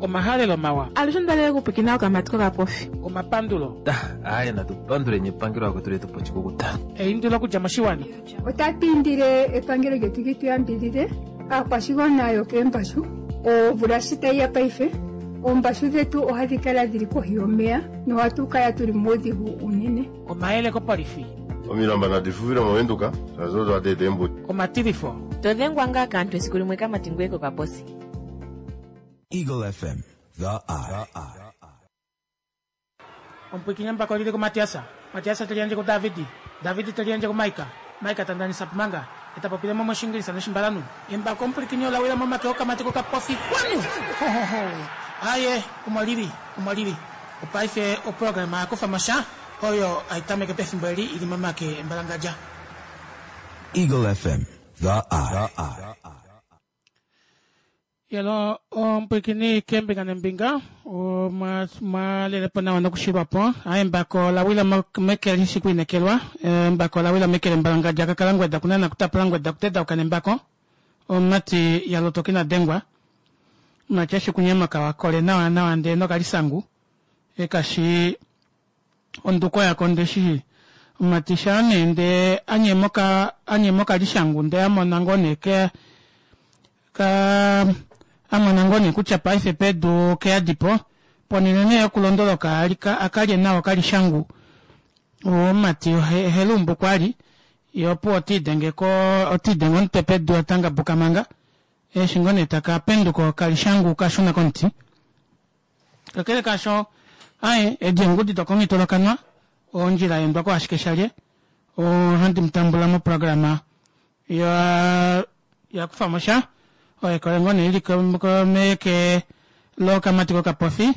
Omahalelo mawa. Alushe onda okupwikina okamati kokapofi. Omapandulo. Aaye natu panduleni epangelo akwetu letu po oshikukuta. Eindilo okudja moshiwana. Otatu indile epangelo lyetu li tu yambidhidhe aakwashigwana yokeembashu. Omvula shi tayi ya paife, oombashu dhetu ohadhi kala dhi li kohi yomeya nohatu kala tu li muudhigu uunene. Omayele kopolifi. Omilamba nadi fufile mOvenduka, shaashi odo hadi eta eembuto. Omatilifo. To dhengwa ngaa kaantu esiku limwe kamati ngweye kokaposi. Eagle FM, the eye. Omupwiikini mbaka oli li kuMatiasa. Matiasa te liyandje kuDavidi. Davidi te liyandje kuMaika. Maika ta ndanisa Pumanga. E ta popile mo mOshingilisa nOshimbalanhu. Embako omupwilikini ola wila momake okamati kokapofi. Kwanu! Ho, ho, ho! Aaye, omo li li. Omo li li. Opaife oprograma ya kufa mo sha, oyo hai tameke pefimbo eli i li momake embalangadja. Eagle FM, the eye. Yelo omupwilikini keembinga nembinga omwa lele po nawa nokushilwa po. A embako ola wila meke li shi kwiinekelwa. Embako ola wila meke lembalangadja kakala ngweda kunana kutapula ngweda kutedauka nembako. Omumati ya lotoka ina dengwa. Omumati eshi kunyemoka wa kole nawa nawa ndee nokalisangu ekashi onduko yako nde shi omumati shaa nee ndee a nyemoka a nyemoka lishangu ndee a mona ngoo nee ke ka a mona ngoo nee kutya paife pedu keyadipo ponhele nee yokulondoloka a kalye nawa okalishangu omumati ohelumbu kwali ye opuwo otiidenge ko otiidenge omutwe pedu atangabuka manga eshi ngoo nee taka penduka okalishangu kashuna komuti Kakele kaasho, ae, edi eengudi dokomhitolokanwa, ondjila ya endwa ko ashike shalye. Ohandi mu tambula moprograma ya, ya kufa mo sha, oyo ekole ngoo nee ili meke lokamati kokapofi,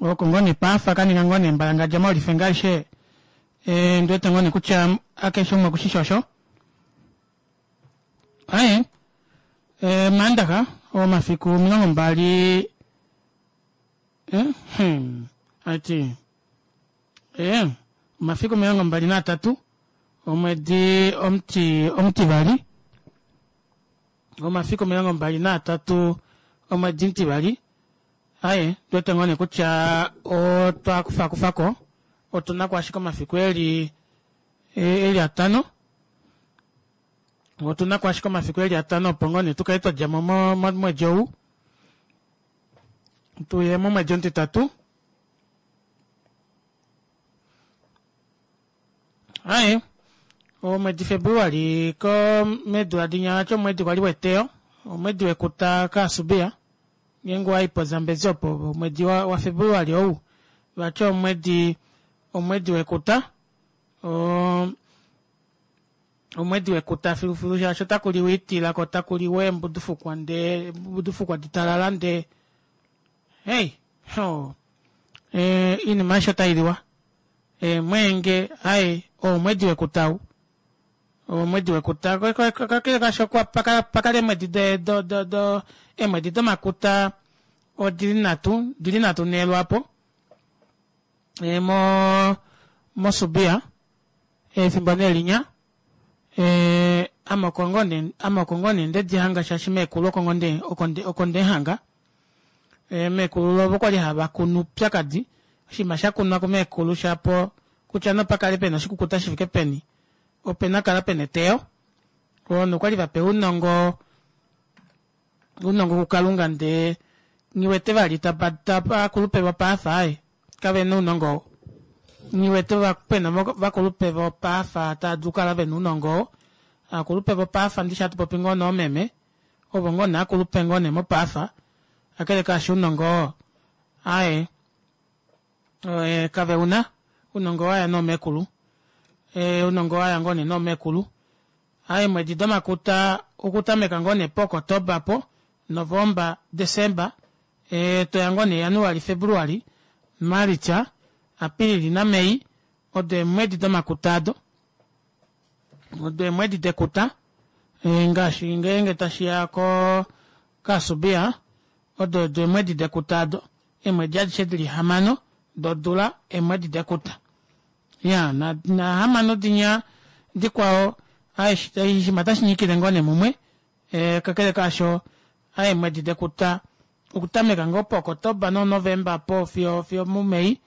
oko ngoo nee paafa ka ninga ngoo nee mbalangadja molife aishe. E, ndi wete ngoo nee kutya akeshe umwe okushi shi osho. Ae, e, Maandaxa, omafiku 20 Eh, hmm, ati eh, omafiku 23 omwedi omuti omutivali omafiku 23 omwedi omutivali aye tuwete ngoo nee kutya otwa kufakufako otu na ko ashike omafiku eli eli atano otu na ko ashike omafiku eli atano opo ngoo nee tu kale twa dja mo momwedi ou tuye momwedi omutitatu aye omwedi februali ko meedula dinya vati omwedi kwali weteyo omwedi wekuta kaasubia ngeenge wayi pozambezi opo omwedi wa, wa februali ou vati omwedi omwedi wekuta o, Omwedi wekuta filufilu shaashi otaku liwa oitila ko taku liwa eembudufukwa ndee eembudufukwa ditalala ndee hey ho eh, iinima aishe otai liwa eemweenge aye oo omwedi wekuta ou omwedi wekuta kakele kasho pakala eemwedi de do do do eemwedi domakuta odili nhatu dili nhatu nhee lwaapo e, mo mosubia Efimbo nee linya eh, ame oko ngoo nee ame oko ngoo nee nde di hanga shaashi meekulu oko ngoo nde oko nde oko nde hanga. Eh, meekulu ovo kwali hava kunu upyakadi, oshinima sha kunwa kumeekulu shapo kutya nopa kale pena oshikukuta shi fike peni, opena kala pena eteyo. Ovanhu okwali va pewa ounongo ounongo kuKalunga ndee nghi wete vali tapa tapa aakulupe vopaafa aye kave na ounongo oo. Nghi wete pena ovakulupe vopaafa tava dulu okukala vena ounongo oo. Aakulupe vopaafa ndishi hatu popi ngoo noomeme ovo ngoo nee aakulupe ngoo nee mopaafa kakele kaasho ounongo oo aaye kave una. Ounongo owaya noomekulu. Ounongo owaya ngoo nee noomekulu. A Eemwedi domakuta okutameka ngoo nee poOkotoba po, Novomba, Desemba, e to ya ngoo nee Januali, Febuluali, Maalitsa, Apilili naMei, odo eemwedi domakuta ado. Odo eemwedi dekuta, e, ngaashi ngeenge tashi ya ko kaasubia, odo odo eemwedi dekuta ado. Eemwedi adishe di li hamano dodula eemwedi dekuta. Ya, na, na hamano dinya dikwao, aishe otashi nyikile ngoo nee mumwe. E, kakele kaasho, aemwedi dekuta Okutameka ngoo poOkotoba noNovemba opo fiyo fiyo muMei,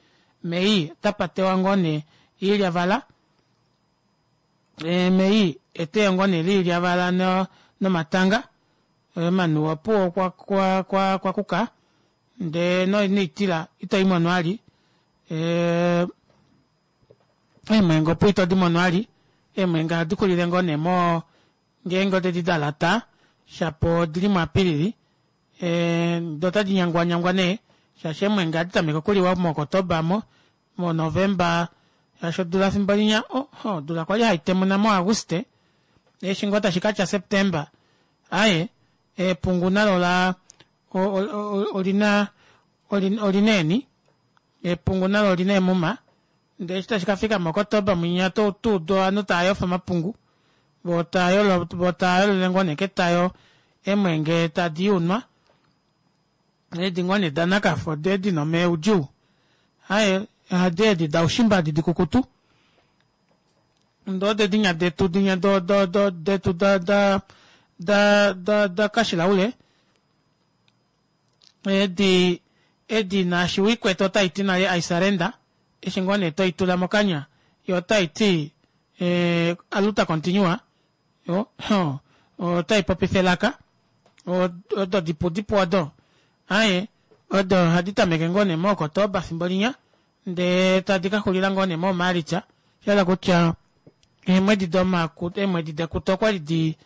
Mei otapa tewa ngoo nee iilyavala, Mei eteyo ngoo nee loilyavala nomatanga, omanuwa opuwo kwa kwa kwakuka ndee noitila ito imono vali, eemwenga opuwo ito dimono vali, eemwenga ohadi xulile ngoo nee moo ngeenge odedi dalata shapo odili mu Apilili doo otadi nyangwanyangwa nee shaashi eemwenga ohadi tameke okuliwa mu October omo mo November shaashi odula efimbo linya odula kwali haitemuna mu Auguste eshi ngoo tashi katya September aaye epungu nalo ola olina olina eeni epungu nalo olina eemuma ndee eshi tashi kafika mu October mwinya totuudu ovanhu taayofa omapungu voo taayolele ngoo nee ketayo eemwenge tadi yuunwa edi ngoo nee danakafo odee dina omeva oudjuu aaye ohadi edi daushimba edi dikukutu ndee odo dinya detu dinya detu da da da kashilaule edi edi naashi wiikwete otaiti nale i surrender eshi ngoo nee toitula mokanya yoo otaiti aluta continua otaipopifa elaka odo dipu dipu odo aaye odo ohadi tameke ngoo nee mo October fimbo linya ndee tadi kaxulila ngoo nee mo Maalitsa shahala kutya eemwedi domakuto eemwedi dekuta okwali di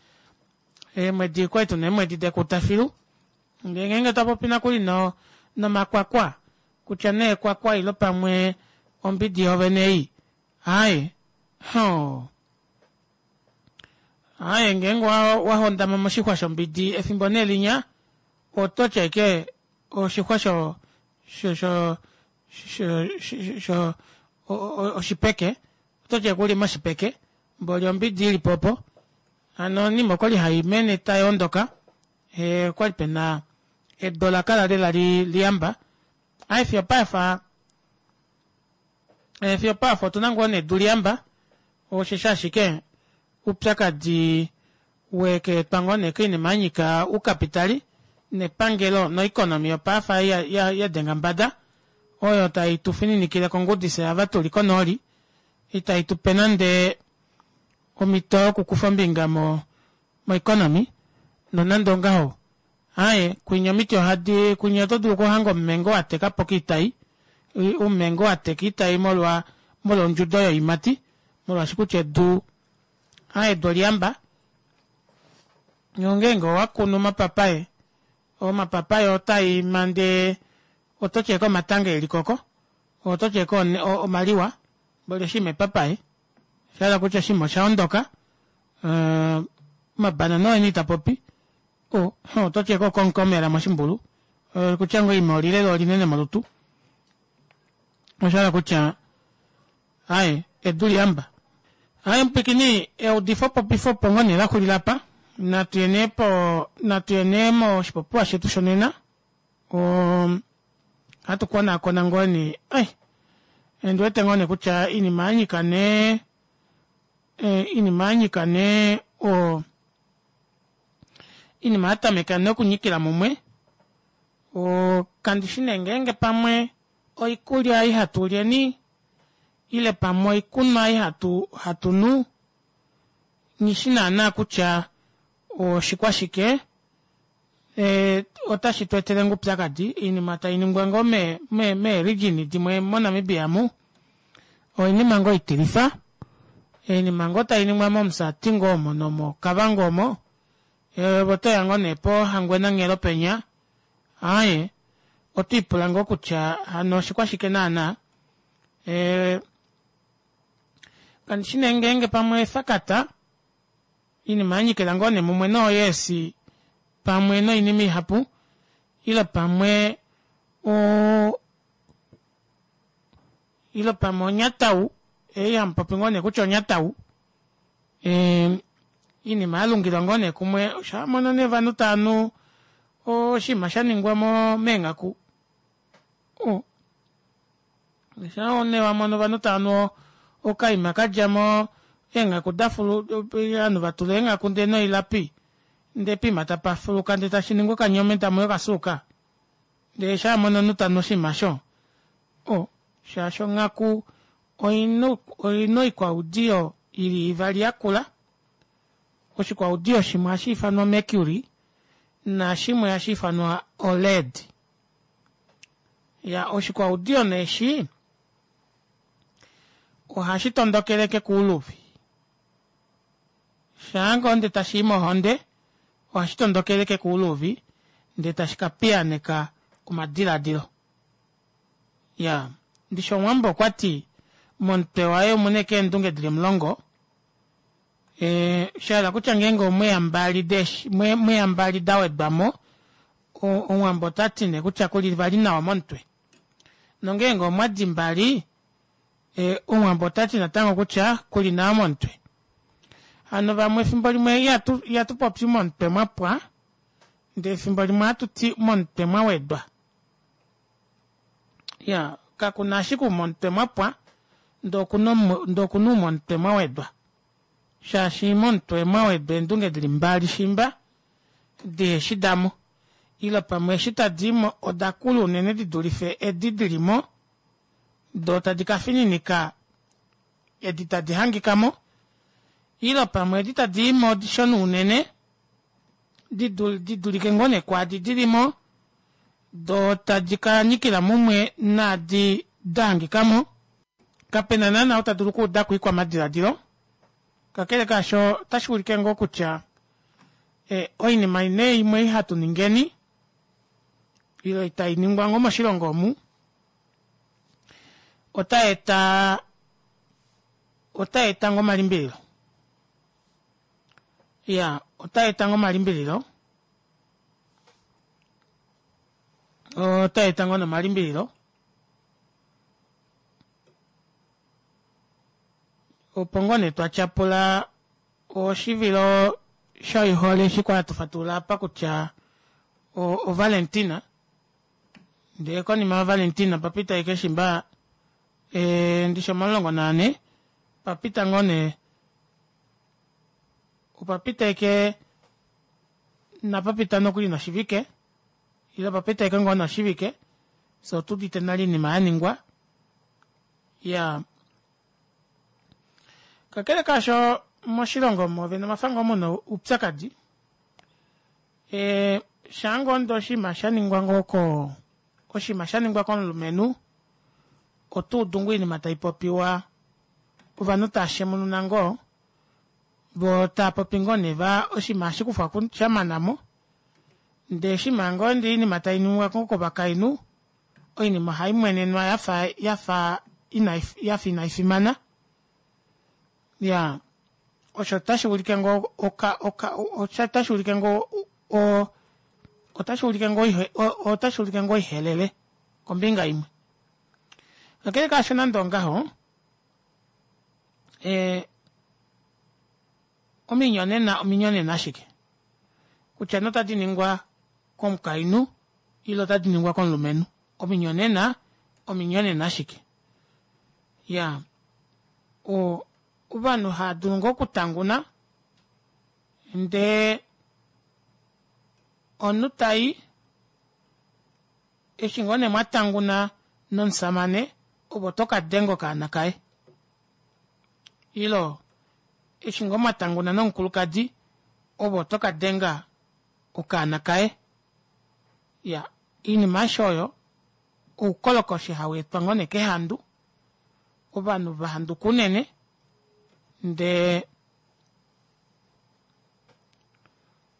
eemwedi okwali tuna eemwedi dekuta filu ndee ngeenge twapopi nokuli no nomakwakwa kutya nee ekwakwa ile pamwe ombidi yoovene ei aaye hoo aaye ngeenge wahondama moshixwa shombidi efimbo nee linya ototi ashike oshixwa sho sho sho sho oshipeke ototi ashike uli moshipeke mboli ombidi ilipo opo hano onima okwali haimene tayoondoka okwali pena edu olakala lela liyamba aaye fiyo opaafa fiyo opaafa otuna ngoo nee edu liyamba osheshi ashike oupyakadi wekeetwa ngoo nee koinima yanyika oukapitali nepangelo noikonomi yopaafa ya denga mbada oyo tai tufininikile kongudi fyee ava tuli konooli itai tupe nande omito yokukufa ombinga moikonomi nonande ongaho aaye kwinya omiti ohadi kwinya oto dulu okuhanga omumengo watekapo koitai omumengo wateka oitai molwa molwa ondjudo yoiimati molwaashi kutya edu aaye edu oliyamba nongeenge owakunu omapapaye omapapaye otaima ndee ototi ashike omatanga elikoko ototi ashike omaliwa mboli oshinima epapaye oshahala kutya oshinima oshaondoka omabanana oeni itapopi ototi ashike okomkomela moshimbulu kutya ngoo einima olile loo olinene molutu oshahala kutya aaye edu liyamba aaye mupwikini eudifo popifo opo ngoo nee laxulila apa natu ye nee po natu ye nee moshipopiwa shetu shonena ohatu konaakona ngoo nee ai ondiwete ngoo nee kutya oinima yanyika nee oinima yanyika nee o oinima yatameka nee okunyikila mumwe kandishi nee ngeenge pamwe oikulya ei hatu lyeni ile pamwe oikunwa ei hatu hatunu nghishi naana kutya oshikwashike otashi tweetele ngoo oupyakadi oinima tainingwa ngoo mee region dimwe mo Namibia amu oinima ngoo itilifa oinima ngoo tainingwa momusati ngoo omo nomo Kavango omo ove otoya ngoo nee po Hangwena nghelo penya aaye otwiipula ngoo kutya hano oshikwashike naana kandishi nee ngeenge pamwe efakata oinima yanyikila ngoo nee mumwe nooyeesi pamwe noinima ihapu ile pamwe ile pamwe onyatau ei hamupopi ngoo nee kutya onyatau oinima yalungilwa ngoo nee kumwe osho hamono nee ovanhu taanu oshinima shaningwa meenghaku osho nee wamono ovanhu taanu okaima kadja mo eenghaku dafulu ovanhu vatula eenghaku ndee noilapi ndee poima tapafuluka ndee tashiningi okanyome tamuya okasuuka. Ndee eshi a mona omunhu tanu oshinima osho, o, shaashi onghaku oina, oina oikwaudiyo ili ivali yakula. Oshikwaudiyo shimwe ohashi ifanwa mercury, nashimwe ohashi ifanwa olead. Ya, oshikwaudiyo nee eshi, ohashi tondokeleke kuuluvi. Shaanga onde tashi i mohonde, ohashi tondokeleke kuuluvi, ndee tashi ka piyaaneka omadilaadilo. Ya, ndishi Omuwambo okwa ti, momutwe waye omuna ashike eendunge dili omulongo, e, sha hala kutya ngeenge omweya mbali deshi, mweya mbali da wedwa mo, Omuwambo ota ti nee kutya kuli vali nawa momutwe. Nongeenge omwadi mbali, e, Omuwambo ota ti natango kutya kuli nawa momutwe. Hano vamwe efimbo limwe ihatu, ihatu popi momutwe mwa pwa, ndee efimbo limwe ohatu ti momutwe mwa wedwa. Ya, kaku na ashike momutwe mwa pwa, ndee okuna ndee okuna momutwe mwa wedwa. Shaashi momutwe mwa wedwa eendunge dili mbali shimba, diheshi damo. Ile pamwe eshi tadi mo oda kula unene di dulife edi dili mo, doo tadi ka fininika edi tadi hangika mo, ile pamwe edi tadi i mo odishona unene di dulike ngoo nee kwaadi dili mo, doo tadi ka nyikila mumwe naadi da hangika mo. Kape na naana ou ta dulu okuuda ko oikwamadiladilo. Kakele kaasho, otashi ulike ngoo kutya e, oinima nee imwe ei hatu ningeni ile itai ningwa ngoo moshilongo omu otai eta otai eta ngoo omalimbililo. Ya, otai eta ngoo omalimbililo. Otai eta ngoo nomalimbililo. Opo ngoo nee twa tyapula oshivilo shoihole eshi kwa hatu fatulula apa kutya oValentina. Ndee konima yoValentina pa pita ashike shimba e, ndishi omulongo naane pa pita ngoo nee opa pita ashike napa pita nokuli noshivike ile opa pita ashike ngoo noshivike fye otu udite nale oinima ya ningwa ya kakele kaasho moshilongo omo vene omafango omu na oupyakadi e, shaa ngoo ndee oshinima sha ningwa ngoo ko oshinima sha ningwa komulumenhu oto udu ngoo oinima tai popiwa ovanhu tava shemununa ngoo voo tava popi ngoo nee va oshinima hashi kufwa sha mana mo ndee oshinima ngoo ndee oinima tai ningwa ngoo kovakainhu oinima ohai mwenenwa yafa yafa inai yafa inai fimana ya osho otashi ulike ngoo oka oka otashi ulike ngoo o otashi ulike ngoo otashi ulike ngoo oihelele kombinga imwe. Kakele kaasho nande ongaho, e, ominyonena ominyonena ashike kutya notadi ningwa komukainhu ile otadi ningwa komulumenhu ominyonena ominyonena ashike ya o ovanhu hava dulu ngoo okutanguna ndee omunhu tai Eshi ngoo nee mwa tanguna nomusamane ove oto ka denga okaana kaye. Ilo eshi ngoo mwa tanguna nomukulukadi ove oto ka denga okaana kaye. Ya, oinima aishe oyo oukolokoshi hau etwa ngoo nee kehandu. Ovanhu va handuka unene ndee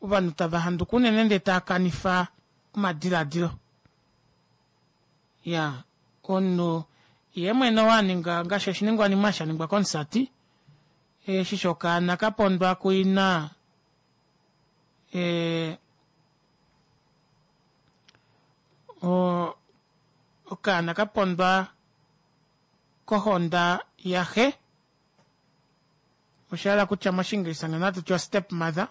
ovanhu tava handuka unene ndee tava kanifa omadiladilo. Ya, omunhu ye mwene oo a ninga ngaashi oshiningwanima sha ningwa kOmusati, eshi shokaana ka pondwa kuina e, o, okaana ka pondwa kohonda yaxe, osha hala kutya mOshiingilisa ngeno ohatu ti ostep mother.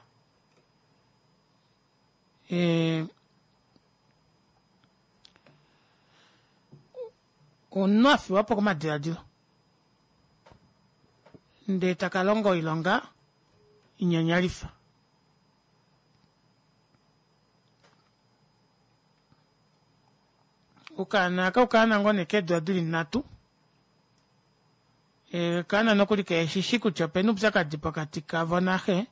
E, omunhu a fiwa po komadiladilo ndee taka longa oilonga inyanyalifa. Okaana aka okaana ngoo nee keedula dili nhatu. Okaana nokuli keeshishi kutya opena oupyakadi pokati kavo naxe.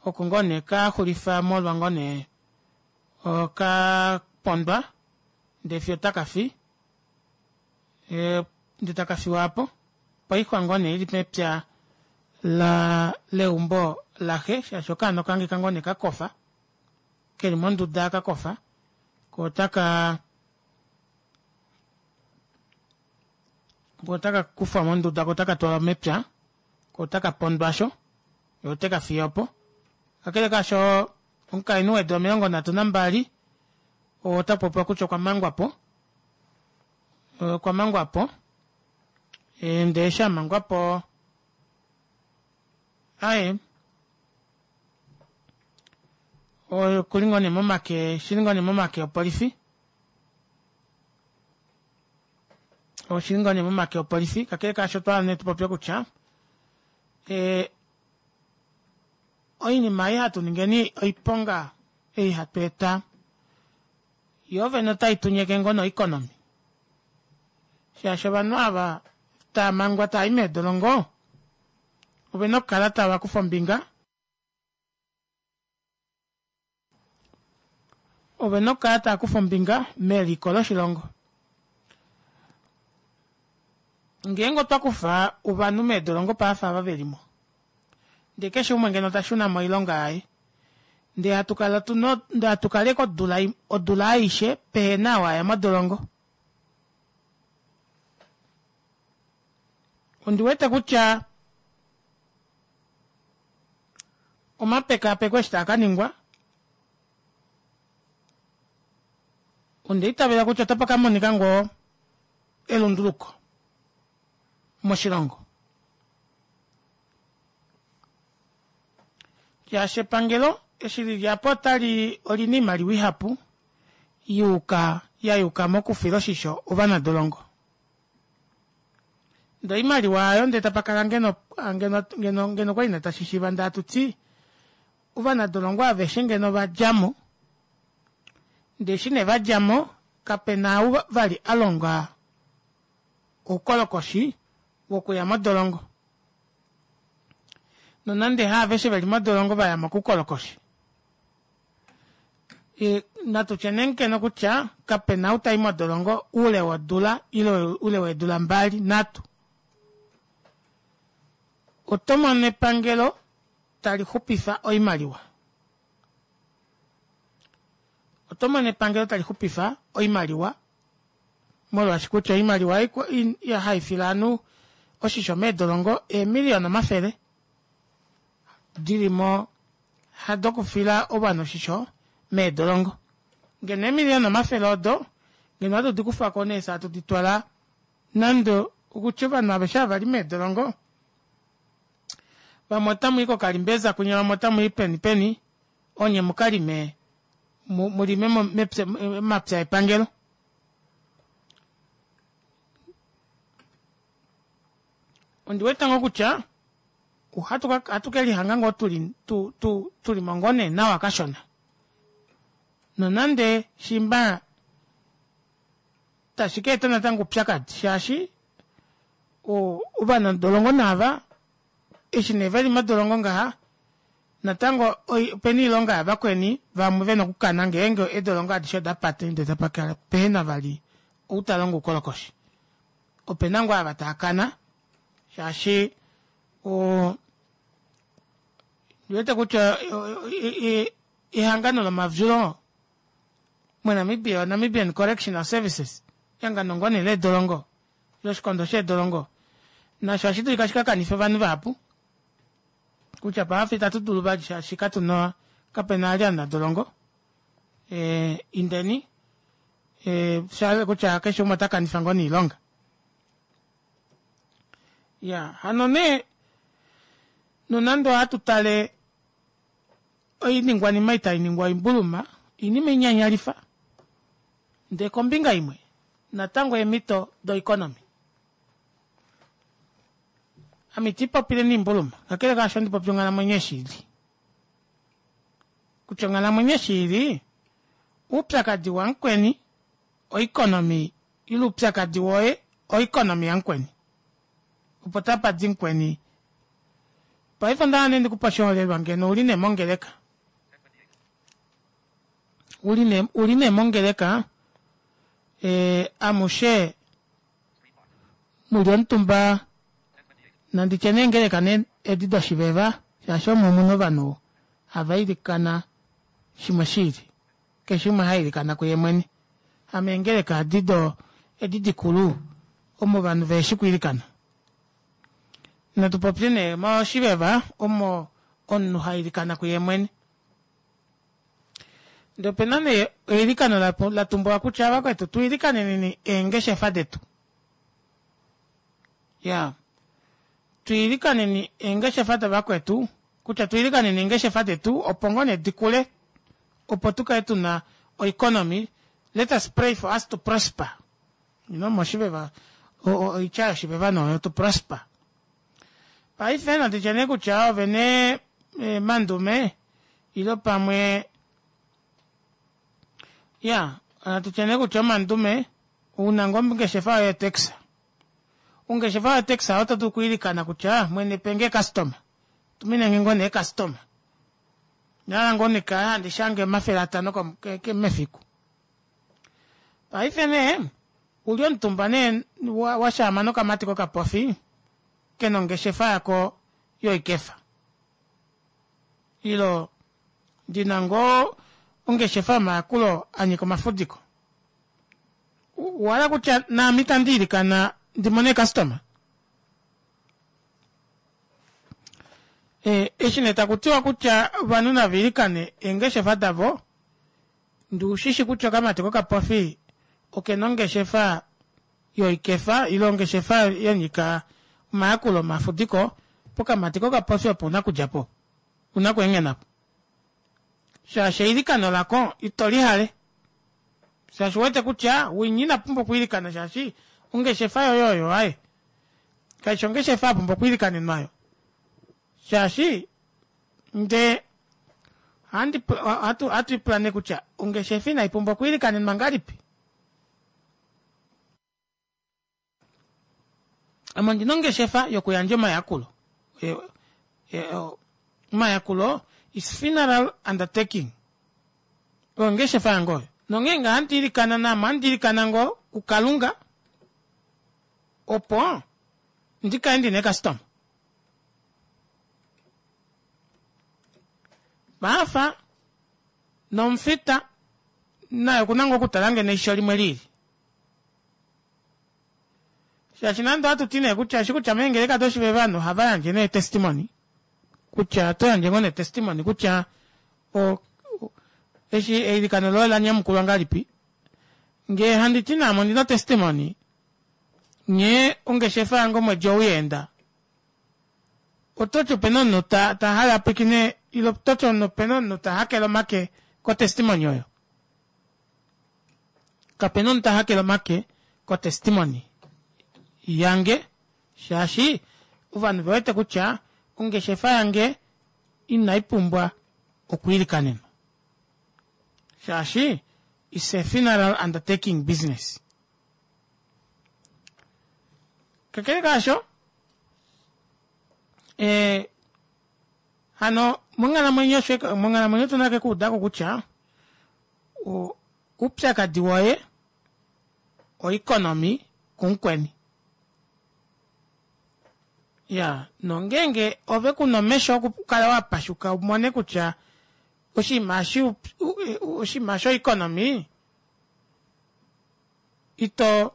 Oko ngoo nee kaxulifa molwa ngoo nee okapondwa ndee fiyo otakafi ndee taka fiwa aapo poixwa ngoo nee ili mepya leumbo laxe shaashi okaana okahangika ngoo nee kakofa keli monduda kakofa ko otaka ko otaka kufwa monduda ko otaka twalwa mepya ko otaka pondwa sho ye oteka fiye opo. Kakele kaasho omukainhu weedula 32 oo ota popiwa kutya okwa mangwa po okwa mangwa po ndee eshi a mangwa po aye okuli ngoo nee momake shili ngoo nee momake opolifi oshili ngoo nee momake opolifi kakele kaasho otwa hala nee tupopye kutya oinima ei hatu ningeni oiponga ei hatu eta yoo vene otai tu nyeke ngoo noikonomi shaashi ovanhu ava tava mangwa tava i meedolongo ovena okukala tava kufa ombinga ovena okukala tava kufa ombinga meliko loshilongo. Ngeenge otwa kufa ovanhu meedolongo paife ava velimo ndee keshe umwe ngeno ta shuna moilonga yaye ndee hatu kala tuna ndee hatu kala ashike odula odula aishe pehena ou aya modolongo. Ondi wete kutya omapekaapeko eshi taa ka ningwa onda itavela kutya otapa ka monika ngoo elunduluko moshilongo. Shaashi epangelo eshi lili apa otali olina oimaliwa ihapu yuuka ya yuka mokufila oshisho ovanadolongo. Ndee oimaliwa aayo ndee tapa kala ngeno ngeno ngeno ngeno kwali nee tashi shiiva ndee hatu ti ovanadolongo aveshe ngeno va dja mo ndee eshi nee va dja mo kapena ou vali a longa oukolokoshi wokuya modolongo. Nonande haaveshe veli modolongo va ya moukolokoshi. Natu tye nee ngeno kutya kape na ou tai modolongo oule wodula ile oule weedula mbali nhatu. Oto mono epangelo tali xupifa oimaliwa. Oto mono epangelo tali xupifa oimaliwa molwaashi kutya oimaliwa ei hai file ovanhu oshisho meedolongo eemiliyona omafele dili mo hadokufila ovanhu oshisho meedolongo. Ngeno eemiliyona omafele odo ngeno ohatu di kufa ko nee fye hatu di twala nande okutya ovanhu aveshe ava vali meedolongo vamwe otamu i kokalimbeza kwinya vamwe otamu i peni peni onye mukalime mulime mepya epangelo. Ondi wete ngoo kutya ohatu ke lihanga ngoo tuli tu tu tuli mo ngoo nee nawa kashona. Nonande shimba tashi ka eta natango oupyakadi shaashi ovanadolongo naava eshi nee veli modolongo ngaha natango opena oilonga yavakweni vamwe vena okukana ngeenge eedolongo adishe oda pata ndee tapa kala pehena vali ou ta longo oukolokoshi. Opena ngoo ava tava kana shaashi ondi wete kutya ehangano lomavyulo moNamibia oNamibian Correctional Services ehangano ngoo nee leedolongo loshikondo sheedolongo nasho ohashi dulika shi ka kanife ovanhu vahapu kutya paife itatu dulu vali shaashi katuna kapena vali ovanadolongo indeni sha kutya keshe umwe ota kanifa ngoo nee oilonga. Ya hano nee nonande ohatu tale oiningwanima ei tai ningwa oimbuluma oinima inyanyalifa ndee kombinga imwe natango eemhito doeconomy. Ame iti popile niimbuluma kakele kaasho ndi popi onghalamwenyo eshi ili. Kutya onghalamwenyo eshi ili oupyakadi wamukweni. oikonomi ile oupyakadi woye oikonomi yamukweni. Opo tapa di mukweni. Paife onda hala nee ndikupe oshiholelwa ngeno uli nee mongeleka. Uli nee uli nee mongeleka ee amushe muli omutumba nanditye nee ngeleka nee edi doshiveva shaashi omo muna ovanhu hava ilikana shimwe shiili keshe umwe hailikana kuye mwene ame eengeleka edi do edi dikulu omo ovanhu veheshi okwiilikana natu popye nee moshiveva omo omunhu hailikana kuye mwene ndee opena nee eilikano la tumbulwa kutya vakwetu tu ilikaneneni eengeshefa detu ya tu ilikaneni eengeshefa davakwetu kutya tu ilikaneni eengeshefa detu opo ngoo nee dikule opo tu kale tuna oeconomy let us pray for us to prosper you know moshiveva oitya yoshiveva noyo to prosper paife natu tye nee kutya ove nee eh, mandume ilo pamwe ya natu tye nee kutya omandume una ngoo ongeshefa yoye yotaxi ongeshefa yotaxi oto dulu okwiilikana kutya mwene penge customer tuminenge ngoo nee customer nala ngoo nikala handi shange 500 mefiku paife nee uli omutumba nee washaama nokamati kokapofi kena ongeshefa yako yoikefa ilo ndina ngoo ongeshefa yomayakulo anyika omafudiko wala kutya naame itandi ilikana ndi mone customer e, eshi nee taku tiwa kutya ovanhu nava ilikane eengeshefa davo ndi ushishi kutya okamati kokapofi okena ongeshefa yoikefa ile ongeshefa ya nyika omayakulo omafudiko pokamati kokapofi opo una kudja po una kweengena po shaashi eilikano lako ito lihale shaashi uwete kutya winya ina pumbwa okwiilikana shaashi ongeshefa yoye oyo aye kaishi ongeshefa ya pumbwa okwiilikanenwa yo shaashi ndee ohandi ohatu ipula nee kutya ongeshefa inai pumbwa okwiilikanenwa ngahelipi Ame ondina ongeshefa yokuyandja omayakulo. Omayakulo is funeral undertaking. Oyo ongeshefa yange oyo. Nonghee nga handi ilikana naame ohandi ilikana ngoo kuKalunga opo ndi kale ndina eekastoma. Paafa nomufita naye okuna ngoo okutala nge neisho limwe liili. Shaashi nande ohatu ti nee kutya eshi kutya meengeleka doshiveva ovanhu ohava yandje nee testimony kutya oto yandje ngoo nee testimony kutya o, eshi eilikano loye la nyamukulwa ngahelipi. Ngee handi ti naame ondina otestimony nghee ongeshefa yange omwedi ou ya enda, oto ti opena omunhu ta, ta hala a pwiikine ile oto ti opena omunhu ta hakele omake kotestimony oyo. Kapena omunhu ta hakele omake kotestimony yange shaashi ovanhu ve wete kutya ongeshefa yange inai pumbwa okwiilikanenwa shaashi is a funeral undertaking business. Kakele kaasho, eh, hano monghalamwenyo monghalamwenyo otuna ke kuudako kutya oupyakadi woye oeconomy kumukweni. Ya, nongeenge ove kuna omesho okukala wa pashuka umone kutya oshinima eshi oshinima shoeconomy ito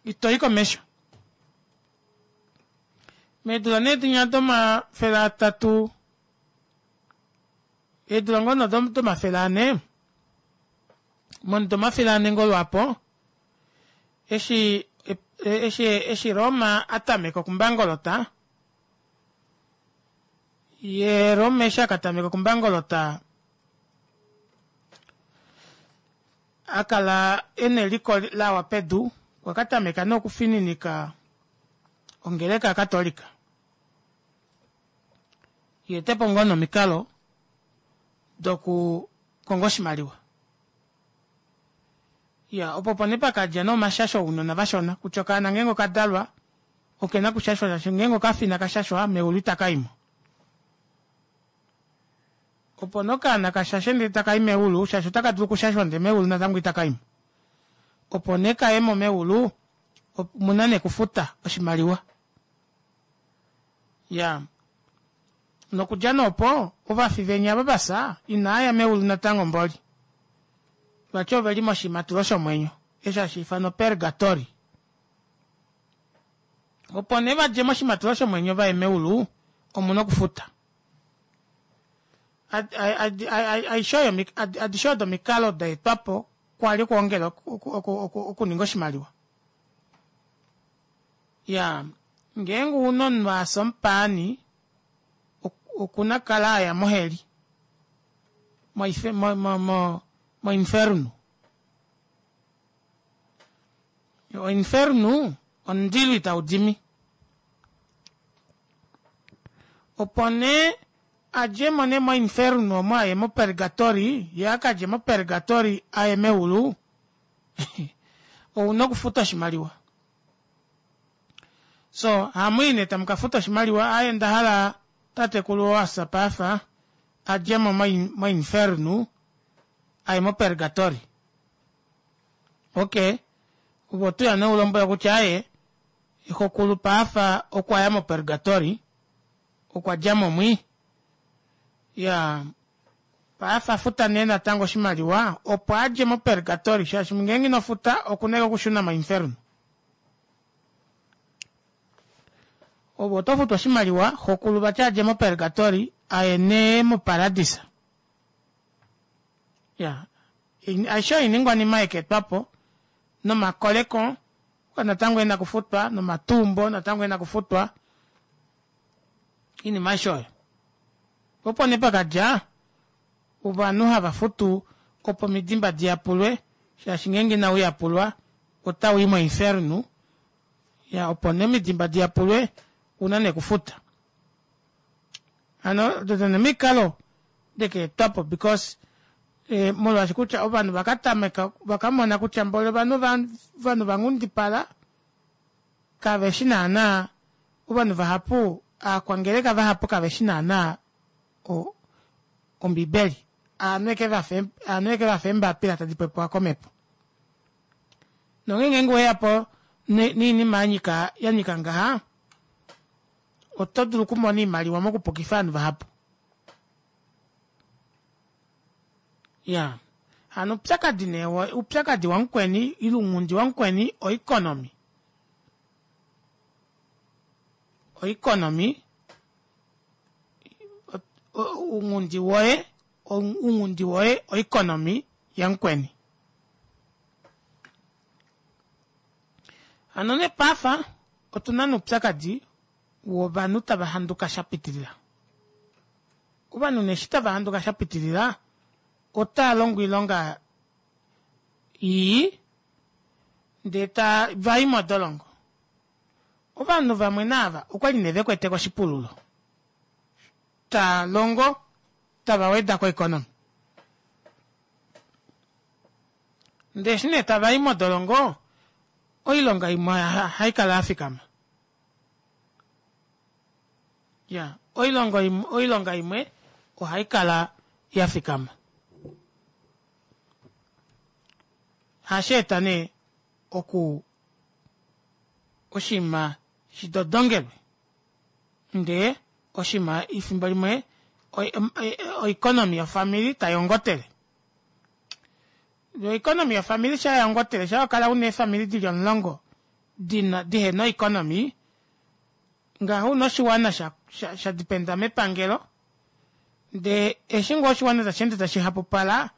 ito i komesho. Meedula nee dinya domafele atatu eedula ngoo no 400 momudo 400 ngoo lwaapo eshi eshi eshi Roma a tameka okumbangolota ye Roma eshi a ka tameka okumbangolota a kala e na eliko la wa pedu okwa ka tameka nee okufininika ongeleka yaKatolika i ete po ngoo nomikalo dokukonga oshimaliwa. Iya, opo opo nee pakadja nee omashasho ounona vashona, kutya okaana ngeenge okadalwa okena okushashwa shaashi ngeenge okafi inaka shashwa meulu itakaimo. Opo nee okaana kashashe ndele takai meulu shaashi otaka dulu okushashwa ndele meulu natango itakaimo. Opo nee kayemo meulu omuna nee okufuta oshimaliwa. Iya, nokudja nee opo ovafi venya ava vafya inaaya meulu natango mboli. Vati oveli moshimatulo shomwenyo eshi hashi ifanwa opergatori. Opo nee vadje moshimatulo shomwenyo vaye meulu omuna okufuta. Aishe oyo adishe odo omikalo daetwapo kwali okwoongela okuninga oshimaliwa. Iyaa, ngeenge una omunhu asa omupaani okuna kala aya moheli, moinferno. Oinferno omundilo itau dimi. Opo nee a dje mo nee moinferno omo aye mopurgatory, ye a ka dje mopurgatory aye meulu, ouna okufuta oshimaliwa. So hamwii nee tamu kafuta oshimaliwa, aaye onda hala tatekulu oo asa paife a djemo moinferno aye mopurgatory. Okay, ove otoya nee ulombwelwa kutya aaye xokulu paife okwa ya mopurgatory, okwa djamo mwii. Iyaa, paife futa nee natango oshimaliwa opo a dje mopurgatory shaashi ngeenge ino futa okuna okushuna moinferno. Ove oto futwa oshimaliwa, xokulu vati a dje mopurgatory aye nee moparadisa. Ya, aishe oiningwanima yeketwapo nomakoleko natango ena kufutwa nomatumbo natango ena kufutwa iinima aishe oyo. Opo nee pakadja ovanhu hava futu opo omidimba diyapulwe shaashi ngeenge inau yapulwa otau i moinferno. Ya, opo nee omidimba diyapulwe ouna nee okufuta. Hano odo nomikalo dekeetwapo because eh, molwaashi kutya ovanhu vakatameka vakamona kutya mboli ovanhu ovanhu vanghundipala kave shi naana ovanhu vahapu aakwangeleka vahapu kave shi naana ombibeli aanhu eke vafa aanhu eke vafa eembapila tadi pwepwa komhepo nongeenge weya po noinima yanyika yanyika ngaha oto dulu okumona oimaliwa mokupukifa ovanhu vahapu. Ya hano oupyakadi nee oupyakadi wamukweni ile ounghundi wamukweni oeconomy. Oeconomy ounghundi woye ounghundi woye oeconomy yamukweni. Hano nee pafa otu na noupyakadi wovanhu tava handuka sha pitilila. Ovanhu nee eshi tava handuka sha pitilila otava longo oilonga ii ndee tava i modolongo. Ovanhu vamwe naava okwali nee vekwete koshipululo taa longo tava weda koeconomy. Ndee eshi nee tava i modolongo oilonga imwe ohai kala ya fikama. Ya, oilongo imwe, oilonga imwe ohai kala ya fikama. Hashi eta nee oku oshinima shi dodongelwe ndee oshinima efimbo limwe oeconomy yofamili tai ongotele. Oeconomy yofamili sha ya ongotele, sha wakala una eefamili dili omulongo dina dihena oeconomy, ngaho una oshiwana sha sha, sha dipenda mepangelo ndee eshi ngoo oshiwana tashi ende tashi hapupala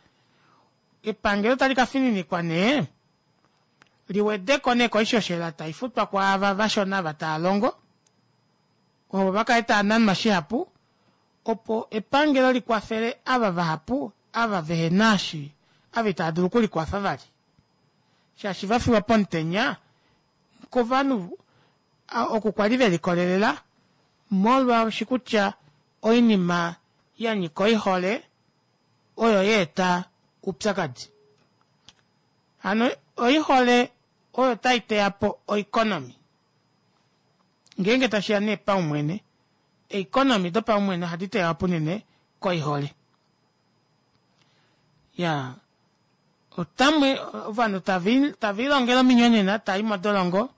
epangelo tali ka fininikwa nee liwedeko nee koishoshela tai futwa kwaava vashona ava taa longo ovo va kale taa nanwa shihapu opo epangelo likwafele ava vahapu ava vehena eshi ava itava dulu okulikwafa vali shaashi va fiwa pomutenya kovanhu oku kwali ve likolelela molwaashi kutya oinima ya nyika oihole oyo ya eta oupyakadi. Hano oihole oyo tai teya po oeconomy. Ngeenge tashi ya nee paumwene, eeconomy dopaumwene ohadi teywa po unene koihole. Iyaa, otamu, ovanhu tave, tave lilongele ominyonena, tai modolongo,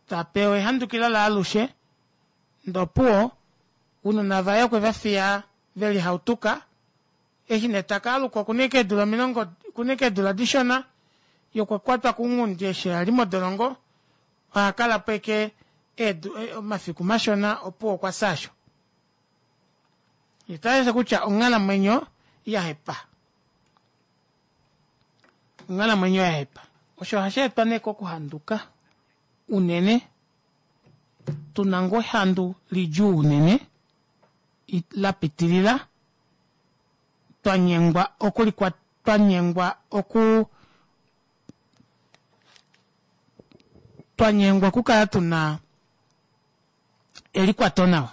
ta pewa ehandukilo laalushe, ndee opuwo, ounona vaye okwe va fiya ve lihautuka, eshi nee taka aluka okuna ashike eedula omilongo, okuna ashike eedula dishona, ye okwa kwatwa kounghundi eshi ali modolongo, oha kalapo ashike omafiku mashona opuwo okwa fya osho. Itashi kutya onghalamwenyo ya hepa. Onghalamwenyo ya hepa. Osho ohashi etwa nee kokuhanduka unene. Tu na ngoo ehandu lidjuu unene la pitilila, twa nyengwa okulikwa, twa nyengwa oku, twa nyengwa okukala tu na elikwato nawa.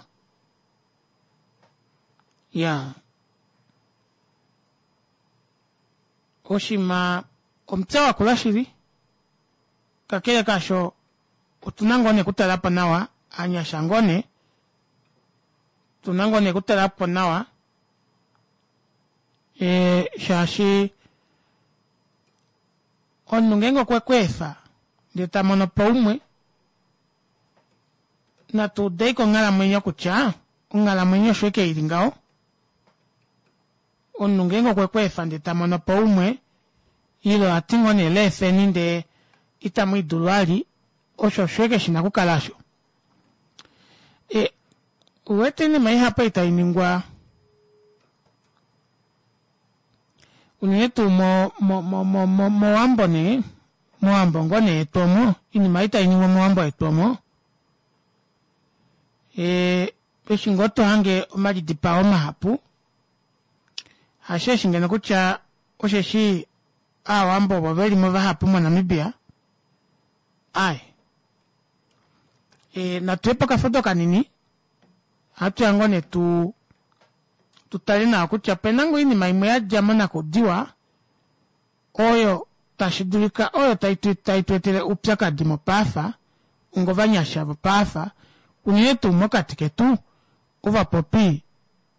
Ya oshinima omupya wakula shili, kakele kaasho otu na ngoo nee okutala po nawa aanyasha ngoo nee, otu na ngoo nee okutala po nawa e, shaashi omunhu ngeenge okwe ku efa ndee ta mono po umwe Natu udei konghalamwenyo kutya onghalamwenyo osho ike ili ngaho. Omunhu ngeenge okwe ku efa ndee ta mono po umwe, ile a ti ngoo nee leefeni ndee itamu i dulu vali, osho osho ike shi na okukala osho. E, uwete oinima ihapu ei tai ningwa unene tuu mo, mo, mo, mo, mo, mOwambo nee, mOwambo ngoo nee yetu omo, oinima ei tai ningwa mOwambo yetu omo, e, eshi ngoo to hange omalidipao mahapu, hasheeshi ngeno kutya osheshi Aawambo ovo ve li mo vahapu moNamibia, aaye. E, natu ye pokafudo kanini, ohatu ya ngoo nee tu tu tale nawa kutya opena ngoo oinima imwe ya dja monakudiwa oyo tashi dulika oyo tai tu tai tu etele oupyakadi mopaafa ongovanyasha vopaafa unene tuu mokati ketu ovapopi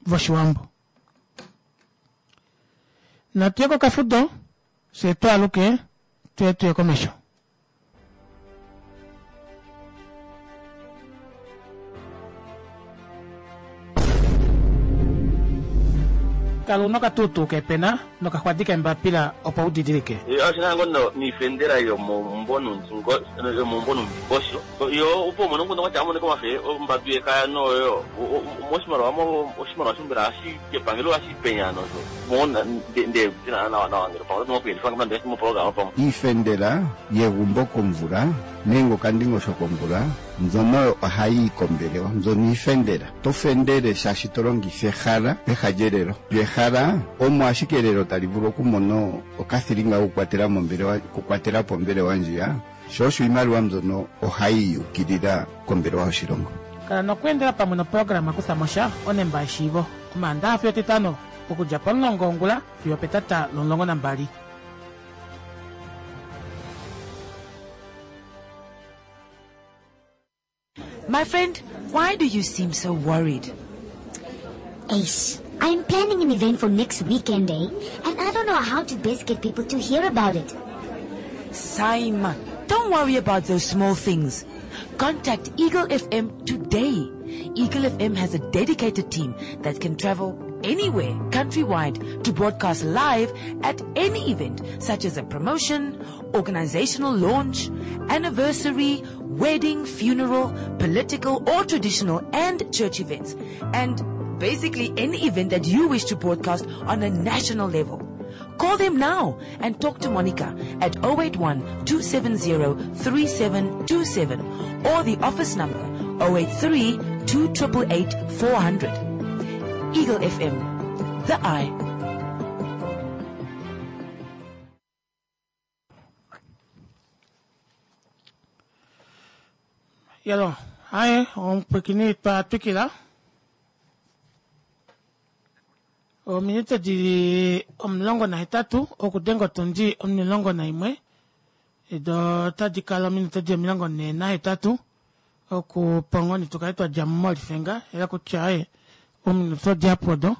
vOshiwambo. Natu ye kokafudo fye twaaluke tuye tuye komesho. Kala una okatuutuu keepena nokaxwadi keembapila opo u didilike. Oshi na ngo niifendela yomomumvo numvo Yo opo mono nguno kwatya amoneka omafe ombadu yekaya noyo moshimaliwa mo oshimaliwa shombela hashi kepangelo hashi penya nosho mo nde tina nawa nawa ngele pamwe oto kuyelifa nande mo program pamwe. Iifendela yegumbo komvula nenge okandingosho komvula mbyono oyo ohayi yi kombelewa. Mbyono iifendela. Oto fendele shaashi to longitha ehala peha lyelelo. Lyo ehala omo ashike elelo tali vulu okumona okathilinga kokukwatela mombelewa, okukwatela po ombelewa ndjiya. Sho osho iimaliwa mbyono ohayi yukilila kombelewa yoshilongo. Kala nokweendela pamwe noprograma Kutha mo sha, Onemba yeshiivo, Omaandaha fiyo Etitano, okudja pomulongo wongula fiyo opetata lomulongo nambali. My friend, why do you seem so worried? Ace, I'm planning an event for next weekend, eh? And I don't know how to best get people to hear about it. Simon, don't worry about those small things. Contact Eagle FM today. Eagle FM has a dedicated team that can travel anywhere countrywide to broadcast live at any event such as a promotion, organizational launch, anniversary, wedding, funeral, political or traditional and church events. And basically any event that you wish to broadcast on a national level. Call them now and talk to Monica at 081 270 3727 or the office number 083 2888 400. Eagle FM, the eye. Yalo, aye, omupwikini twa twikila. Ominute dili 18 okudenga otundi 11 do otadi kala ominute di 48 okupongoni tukale twa dja mo molifenga ela kutya aye ominute odihapu odo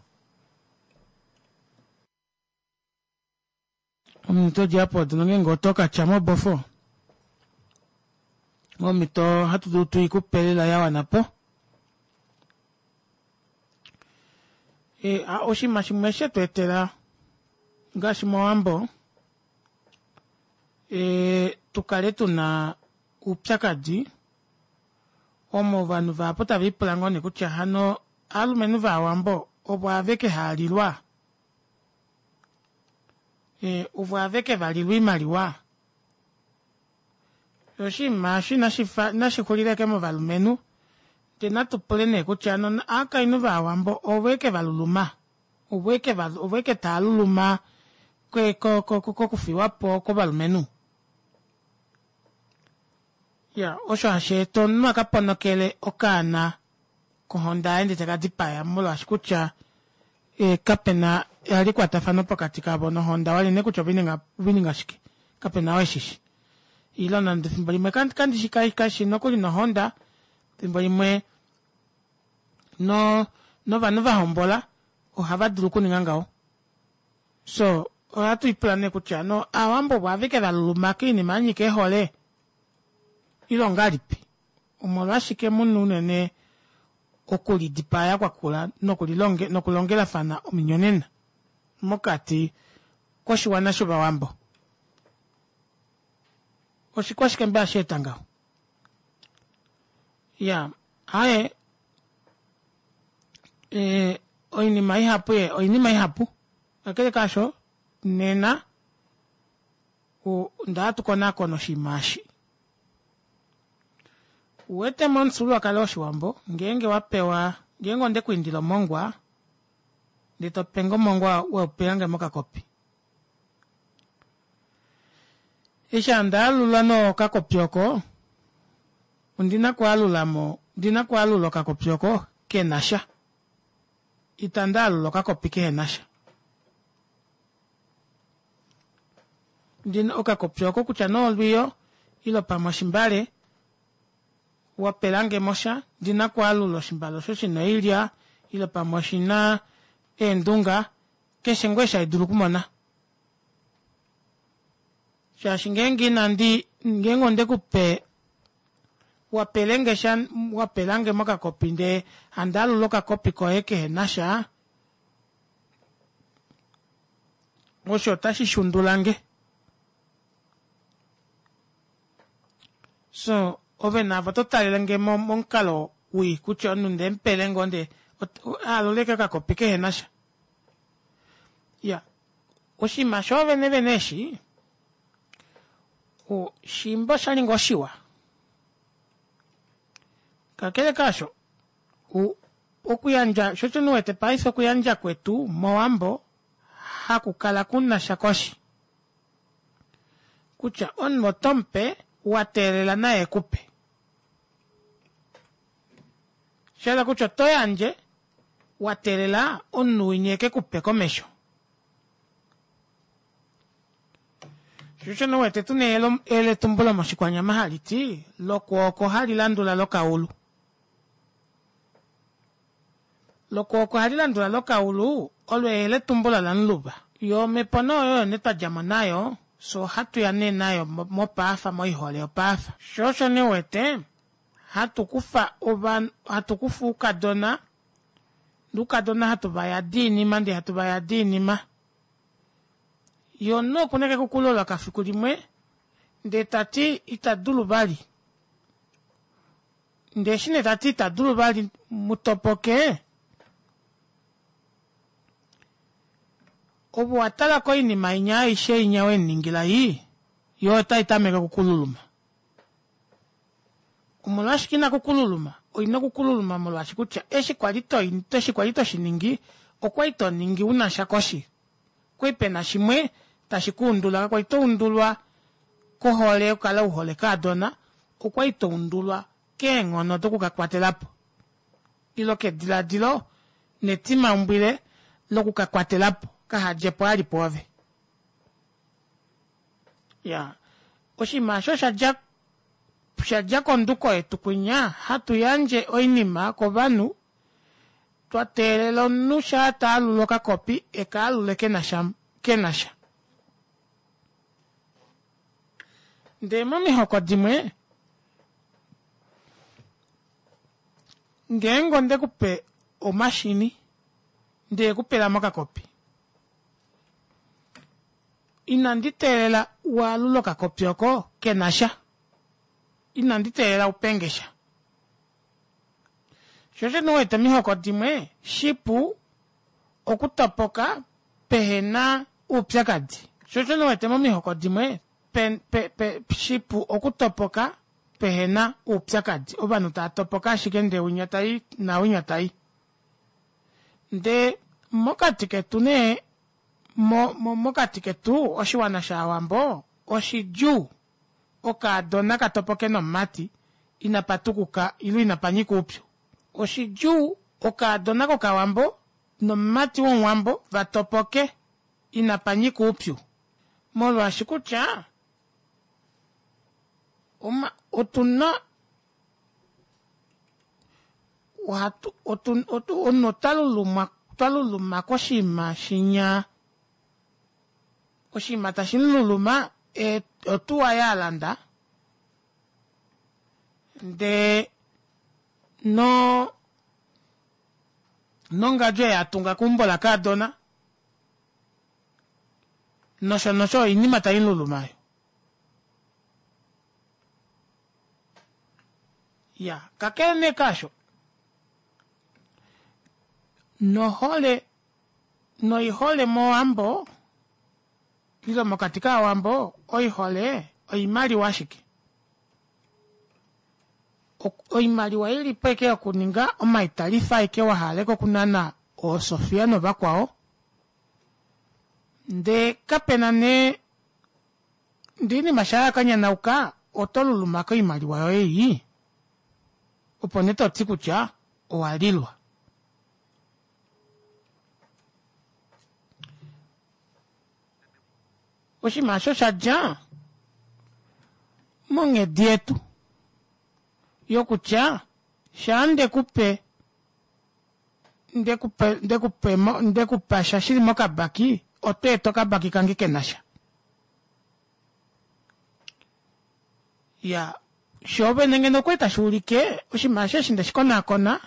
ominute odihapu odo nongeenge oto ka tya mobofo omhito ohatu dulu tu i ku pe lela ya wana po. E, a, oshinima shimwe she tu etela ngaashi mOwambo e, tu kale tu na oupyakadi omo ovanhu vahapu tava ipula ngoo nee kutya hano aalumenhu vaawambo ovo aveke haa lilwa e, ovo aveke va lilwa oimaliwa Oshinima eshi nashi xulileke movalumenhu, ndee natu pule nee kutya hano aakainhu vaawambo ovo eke va luluma? Ovo eke va ovo eke taa luluma kokufiwa po kovalumenhu? Ya, osho hashi eta omunhu a ka ponokele okaana kohonda yaye ndee teka dipaya molwaashi kutya e, kape na elikwatafano pokati kavo nohonda wali nee kutya ova ninga shike kape na oo eshishi. Ile nande efimbo limwe kandi shi kashi nokuli nohonda efimbo limwe no novanhu va hombola ohava dulu okuninga ngaho. So ohatu ipula nee kutya no Aawambo ovo aveke va luluma koinima ya nyika eehole ile ongalipi? Omolwashike mu na unene okulidipaya kwa kula nokulongelafana ominyonena mokati koshiwana shOvawambo? Oshikwashike mbela sha eta ngaho? Ya, aye, e, oinima ihapu ye, oinima ihapu. Kakele kaasho, nena, onda hala tu konakone oshinima eshi. Uwete momufyuululwakalo wOshiwambo, ngeenge wa pewa, ngeenge onde ku indila omongwa, ndee to penge omongwa we u pela nge mokakopi. Eshi handi alula nee okakopi oko, ondi na okwaalula mo, ondi na okwaalula okakopi oko ke na sha. Itandi alula okakopi kehe na sha. Ndina okakopi oko kutya nee olwiyo ile pamwe oshimbale wa pelange mo sha, ndina okwaalula oshimbale osho shina oilya ile pamwe oshina eendunga, keshe ngoo eshi haidulu okumona. Shaashi ngeenge inandi ngeenge onde ku pe wa pelenge sha wa pelange mokakopi ndee handi alula okakopi koye kehe na sha, Osho otashi shundula nge. So, ove navo oto talele nge momukalo wii kutya omunhu nde mupele ngoo nde aluleke okakopi kehe na sha. Ya, oshinima shoovene vene eshi, shiimba osha li ngoo shiwa. Kakele kaasho, Okuyandja, sho osho wete paife okuyandja kwetu mOwambo haku kala ku na sha koshi. Kutya omunhu oto mu pe wa teelela naye e ku pe. Sha hala kutya oto yandje wa teelela omunhu winya e ke ku pe komesho. Sho osho wete tu na eyeletumbulo mOshikwanyama hali ti, Lokwooko hali landula lokaulu. Lokwooko ohali landula lokaulu olo eyeletumbulo laMuluba. Yo omhepo nee oyo nee twa dja mo nayo, fye ohatu ya nee nayo mopaafa moihole yopaafa. Sho osho nee u wete hatu kufa ovanhu hatu kufa oukadona ndee oukadona hatu va yadi oinima ndee hatu va yadi oinima. Ye omunhu oku na ashike okukuloloka fiku limwe ndee ta ti ita dulu vali. Ndee eshi nee ta ti ita dulu vali mu topoke, ove owa tala koinima inya aishe inya we mu ningila ii, yo otai tameke okukululuma. Omolwashike ina kukululuma? Oina okukululuma molwaashi kutya eshi kwa li to, eshi kwa li to shi ningi, okwa li to ningi u na sha koshi. Okwa li pe na shimwe tashi ku undula. Kakwa li to undulwa kohole yokukala u hole kaadona, okwa li to undulwa keenghono doku ka kwatela po, ile kediladilo netimaumbwile loku ka kwatela po kaha dje po ali pwoove. Ya, oshinima osho osha dja sha dja konduko yetu kwinya hatu yandje oinima kovanhu twa teelela omunhu shaa ta alula okakopi e ka alule ke na sha ke na sha. Ndee momihoko dimwe ngeenge onde ku pe omashini ndee ku pela mokakopi inandi teelela u alule okakopi oko ke na sha. Inandi teelela u penge sha. Sho osho nee u wete omihoko dimwe shipu okutopoka pehena oupyakadi. Sho osho nee u wete momihoko dimwe pe, pe, pe, shipu okutopoka pehena oupyakadi. Ovanhu tava topoka ashike ndee winya tai nawinya tai. Ndee mokati ketu nee mo, mo, mokati ketu oshiwana shaawambo oshidjuu okaadona ka topoke nomumati inapa tukuka ile inapa nyika oupyu. Oshidjuu okaadona kokawambo nomumati womuwambo va topoke inapa nyika oupyu molwaashi kutya oma, otu na ohatu otu otu omunhu ota lulumwa twa luluma koshinima shinya oshinima tashi mu luluma e, otuwa ya landa ndee no nongadjo ya tunga keumbo lakaadona nosho nosho oinima tai luluma yo ya kakele nee kaasho nohole noihole mowambo ile mokati kaawambo oihole oimaliwa ashike oimaliwa ili po eke yokuninga omaitalifa eke wa hala eke okunana oosofia novakwao ndee kapena nee ndee oinima shaa yakanyanauka oto luluma koimaliwa yoye ei opo nee toti kutya owa lilwa. Oshinima osho sha dja monghedi yetu yokutya shaa nde ku pe nde ku pe nde ku pe nde ku pa sha shili mokabaki oto eta okabaki kange ke na sha. Ya shoovene ngeno okwali tashi ulike oshinima eshi eshi ndeshi konaakona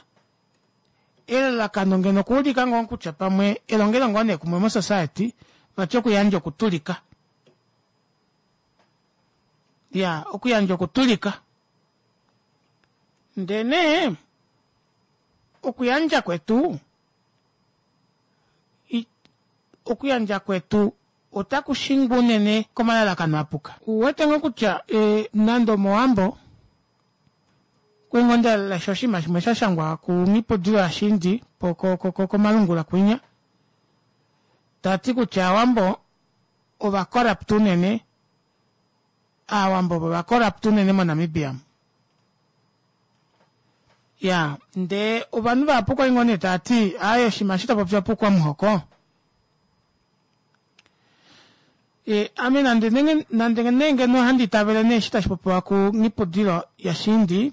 elalakano ngeno okuulika ngoo kutya pamwe elongelo ngoo nee kumwe mosociety vati okuyandja okutulika ya okuyandja okutulika ndee nee okuyandja kwetu okuyandja kwetu otaku shingwa unene komalalakano apuka. Uwete ngoo kutya e, nande omowambo Kuingonda lesha oshinima shimwe sha shangwa kuNghipudilo yaShiindi komalungula kwinya, ta ti kutya Aawambo ova corrupt unene, Aawambo ovo va corrupt unene moNamibia mu. Ya, ndee ovanhu vahapu kwali ngoo nee tava ti aaye oshinima eshi to popi opuukwamuhoko. E, ame nande nenge nande nee ngeno ohandi itavele nee eshi tashi popiwa ku Nghipudilo yaShiindi,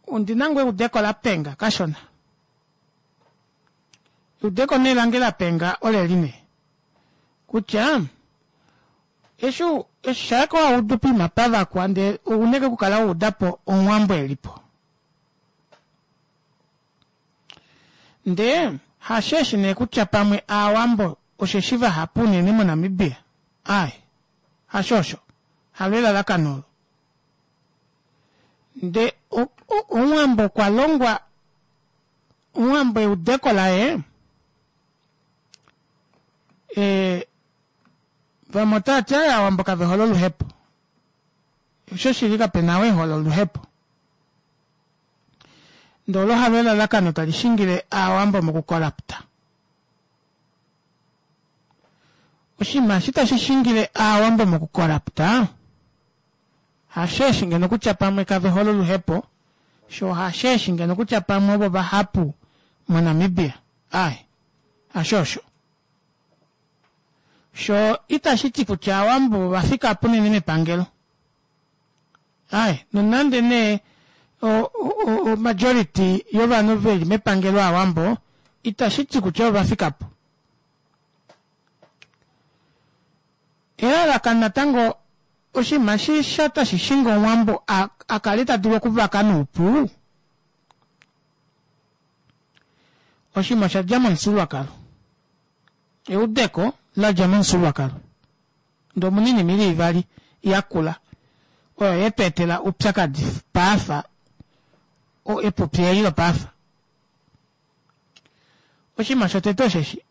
ondi na ngoo eudeko la penga kashona. Eudeko nee lange la penga oleli nee kutya eshi eshi shaako wa udu poima pa vakwa ndee ouna ike okukala wa uda po Omuwambo e li po. Ndee hasheeshi nee kutya pamwe Aawambo osheshi vahapu unene moNamibia, aaye, hasho osho, halo elalakano olo. Nde Omuwambo okwa longwa, Omuwambo eudeko laye, e, vamwe otava ti aaye Aawambo kave hole oluhepo. Oshoshili kape na ou e hole oluhepo. Ndele olo halo elalakano tali shingile Aawambo mokukolapta. Oshinima eshi tashi shingile Aawambo mokukolapta hasheeshi ngeno kutya pamwe kave hole oluhepo, sho hasheeshi ngeno kutya pamwe ovo vahapu moNamibia. Aaye. Hasho osho. Sho itashi ti kutya Aawambo ova fika punene mepangelo. Aye, nonande nee o, o, o majority yovanhu veli mepangelo Aawambo, itashi ti kutya ova fika po. Elalakano natango oshinima eshi sha tashi shingi Omuwambo a, a kale ta dulu okuvaka noupu, oshinima osha dja momufyuululwakalo. Eudeko la dja momufyuululwakalo. Ndee omunini ili ivali yakula oyo ye tu etela oupyakadi paafa, epupi eli lopaafa. Oshinima shotete osheshi,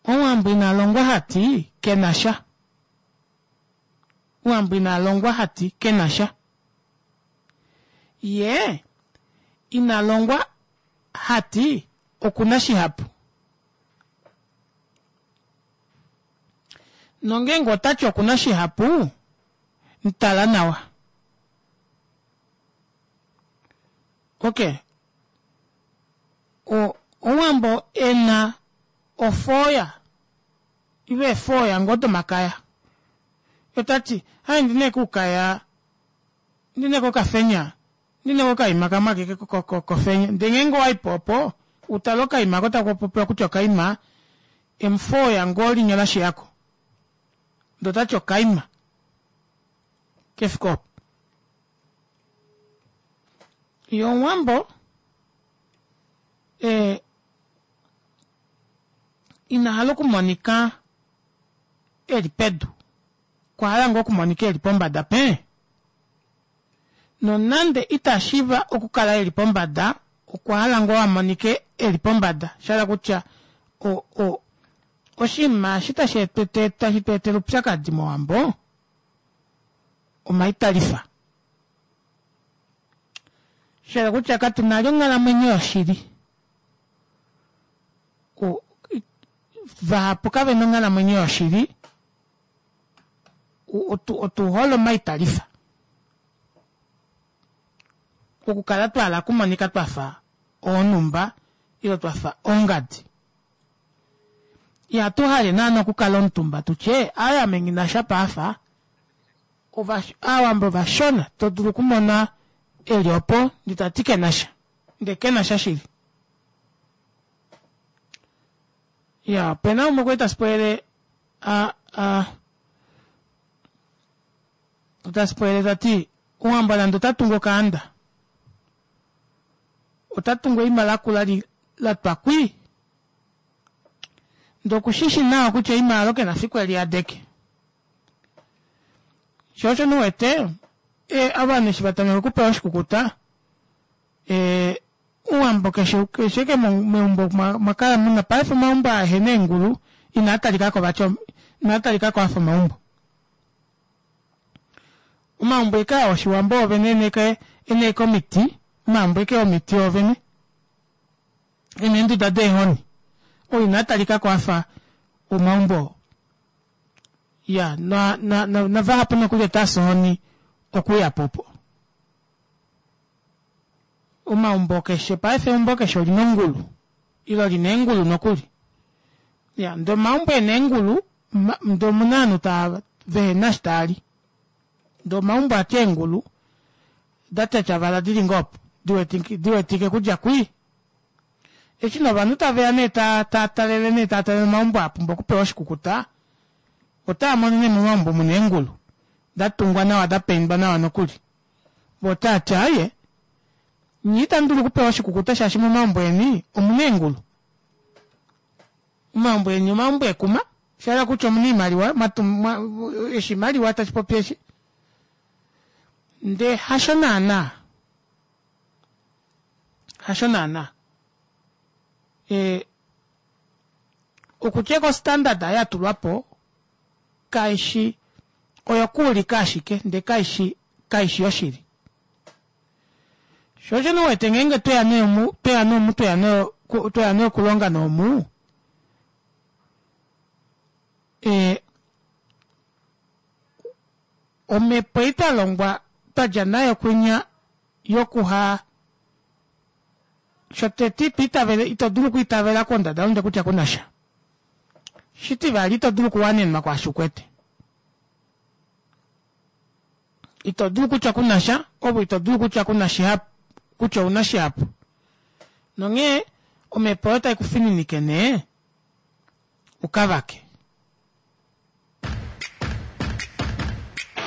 Omuwambo ina longwa hati ke na sha. Omuwambo ina longwa hati ke na sha. Ye ina longwa hati oku na shihapu. Nongeenge ota ti oku na shihapu, mu tala nawa. Ok. O, Omuwambo e na ofooya, ile eefooya ngoo domakaya. Ye ota ti, Hai ndi na eke ukaya, ndi na eke okafenya, ndi na eke okaima kamwe akeke kofenya. Ndee ngeenge owa i po opo, u tale okaima oko taku popiwa kutya okaima, emufooya ngoo linya la shiya ko. Ndee ota ti okaima kefike opo. Ye Omuwambo e, ina hala okumonika e li pedu, okwa hala ngoo okumonika e li pombada pe. Nonande ita shiva okukala e li pombada, okwa hala ngoo a monike e li pombada, sha hala kutya o, o, oshinima eshi tashi tashi tu etele oupyakadi mOwambo, omaitalifa. Sha hala kutya katu na li onghalamwenyo yoshili. Vahapu kave na onghalamwenyo yoshili. Otu, otu hole omaitalifa. Okukala twa hala okumonika twa fa oonhumba ile twa fa ongadi. Ihatu hale naana okukala omutumba tu tye, Aaye ame nghi na sha paafa. Aawambo vashona to dulu okumona e li opo ndi ta ti ke na sha, ndee ke na sha shili. Ya, ope na umwe kwali ta spoyele a, a, ta spoyele ta ti, Omuwambo nande ota tungu okaanda, ota tungu eima lakula li, la twa kwii, ndee oku shi shi nawa kutya eima alo ke na fiku e li yadeke. Sho osho nee u wete, e, ovanhu eshi va tameka okupewa oshikukuta, e, Ouambo keshe keshe ke meumbo mwa kala muna paife omaumbo aa ehena eengulu inaa talikako vati inaa talikako afa omaumbo. Omaumbo eke aa oshiwambo oovene ena eke ena eke omiti omaumbo eke omiti oovene ena eenduda deehoni oo inaa talikako afa omaumbo ya na na navahapu nokuli otaasi ohoni okuuyapo opo. Omaumbo keshe paife eumbo keshe olina ongulu ile olina eengulu nokuli. Ya ndee omaumbo ena eengulu ndee omuna ovanhu tava vehena eshi taali. Ndee omaumbo atya eengulu da tyatyavala dili ngoo opo diwetike kudja kwii. Eshi nee ovanhu taveya nee ta ta talele nee taa talele omaumbo a pumbwa okupewa oshikukuta otaa mono nee momaumbo muna eengulu da tungwa nawa da paindwa nawa nokuli. Vo otaa ti, Aye, nye itamu dulu okupewa oshikukuta shaashi momaumbo eni omu na eengulu. Omaumbo eni omaumbo ekuma, sha hala kutya omu na oimaliwa, oshimaliwa tashi popi eshi. Ndee hasho naanaa. Hasho naanaa. E, okutya ko standard ya tulwa po kai shi oyokuulika ashike ndee kai shi kai shi yoshili. Sho osho nee u wete ngeenge tweya nee omu, tweya nee omu tweya nee tweya nee okulonga nee omu, e, omhepo ei twa longwa twa dja nayo kwinya yokuha. Shotete ito itavele, ito dulu okwiitavela kondadalunde kutya ku na sha. Shitivali ito dulu okuwanenwa kwaashi u kwete. Ito dulu kutya ku na sha, ove ito dulu kutya ku na shihapu, kutya ou na shihapu. Nonghee omhepo oyo tai ku fininike nee u ka vake.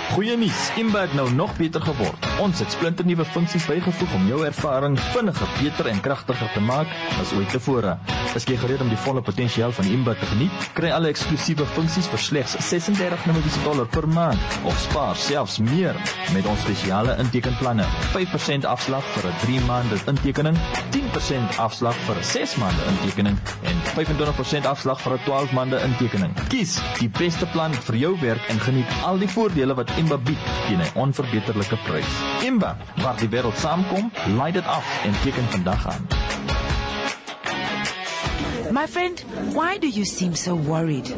Goeie nuus, Imba het nou nog beter geword. Ons het splinternuwe funksies bygevoeg om jou ervaring vinniger, beter en kragtiger te maak as ooit tevore. Is jy gereed om die volle potensiaal van Imba te geniet? Kry alle eksklusiewe funksies vir slegs 36 Namibiese dollar per maand of spaar selfs meer met ons spesiale intekenplanne. 5% afslag vir 'n 3 maande intekening, 10% afslag vir 'n 6 maande intekening en 25% afslag vir 'n 12 maande intekening. Kies die beste plan vir jou werk en geniet al die voordele wat Imba bied teen 'n onverbeterlike prys. Imba, waar die wêreld saamkom, laai dit af en teken vandag aan. My friend, why do you seem so worried?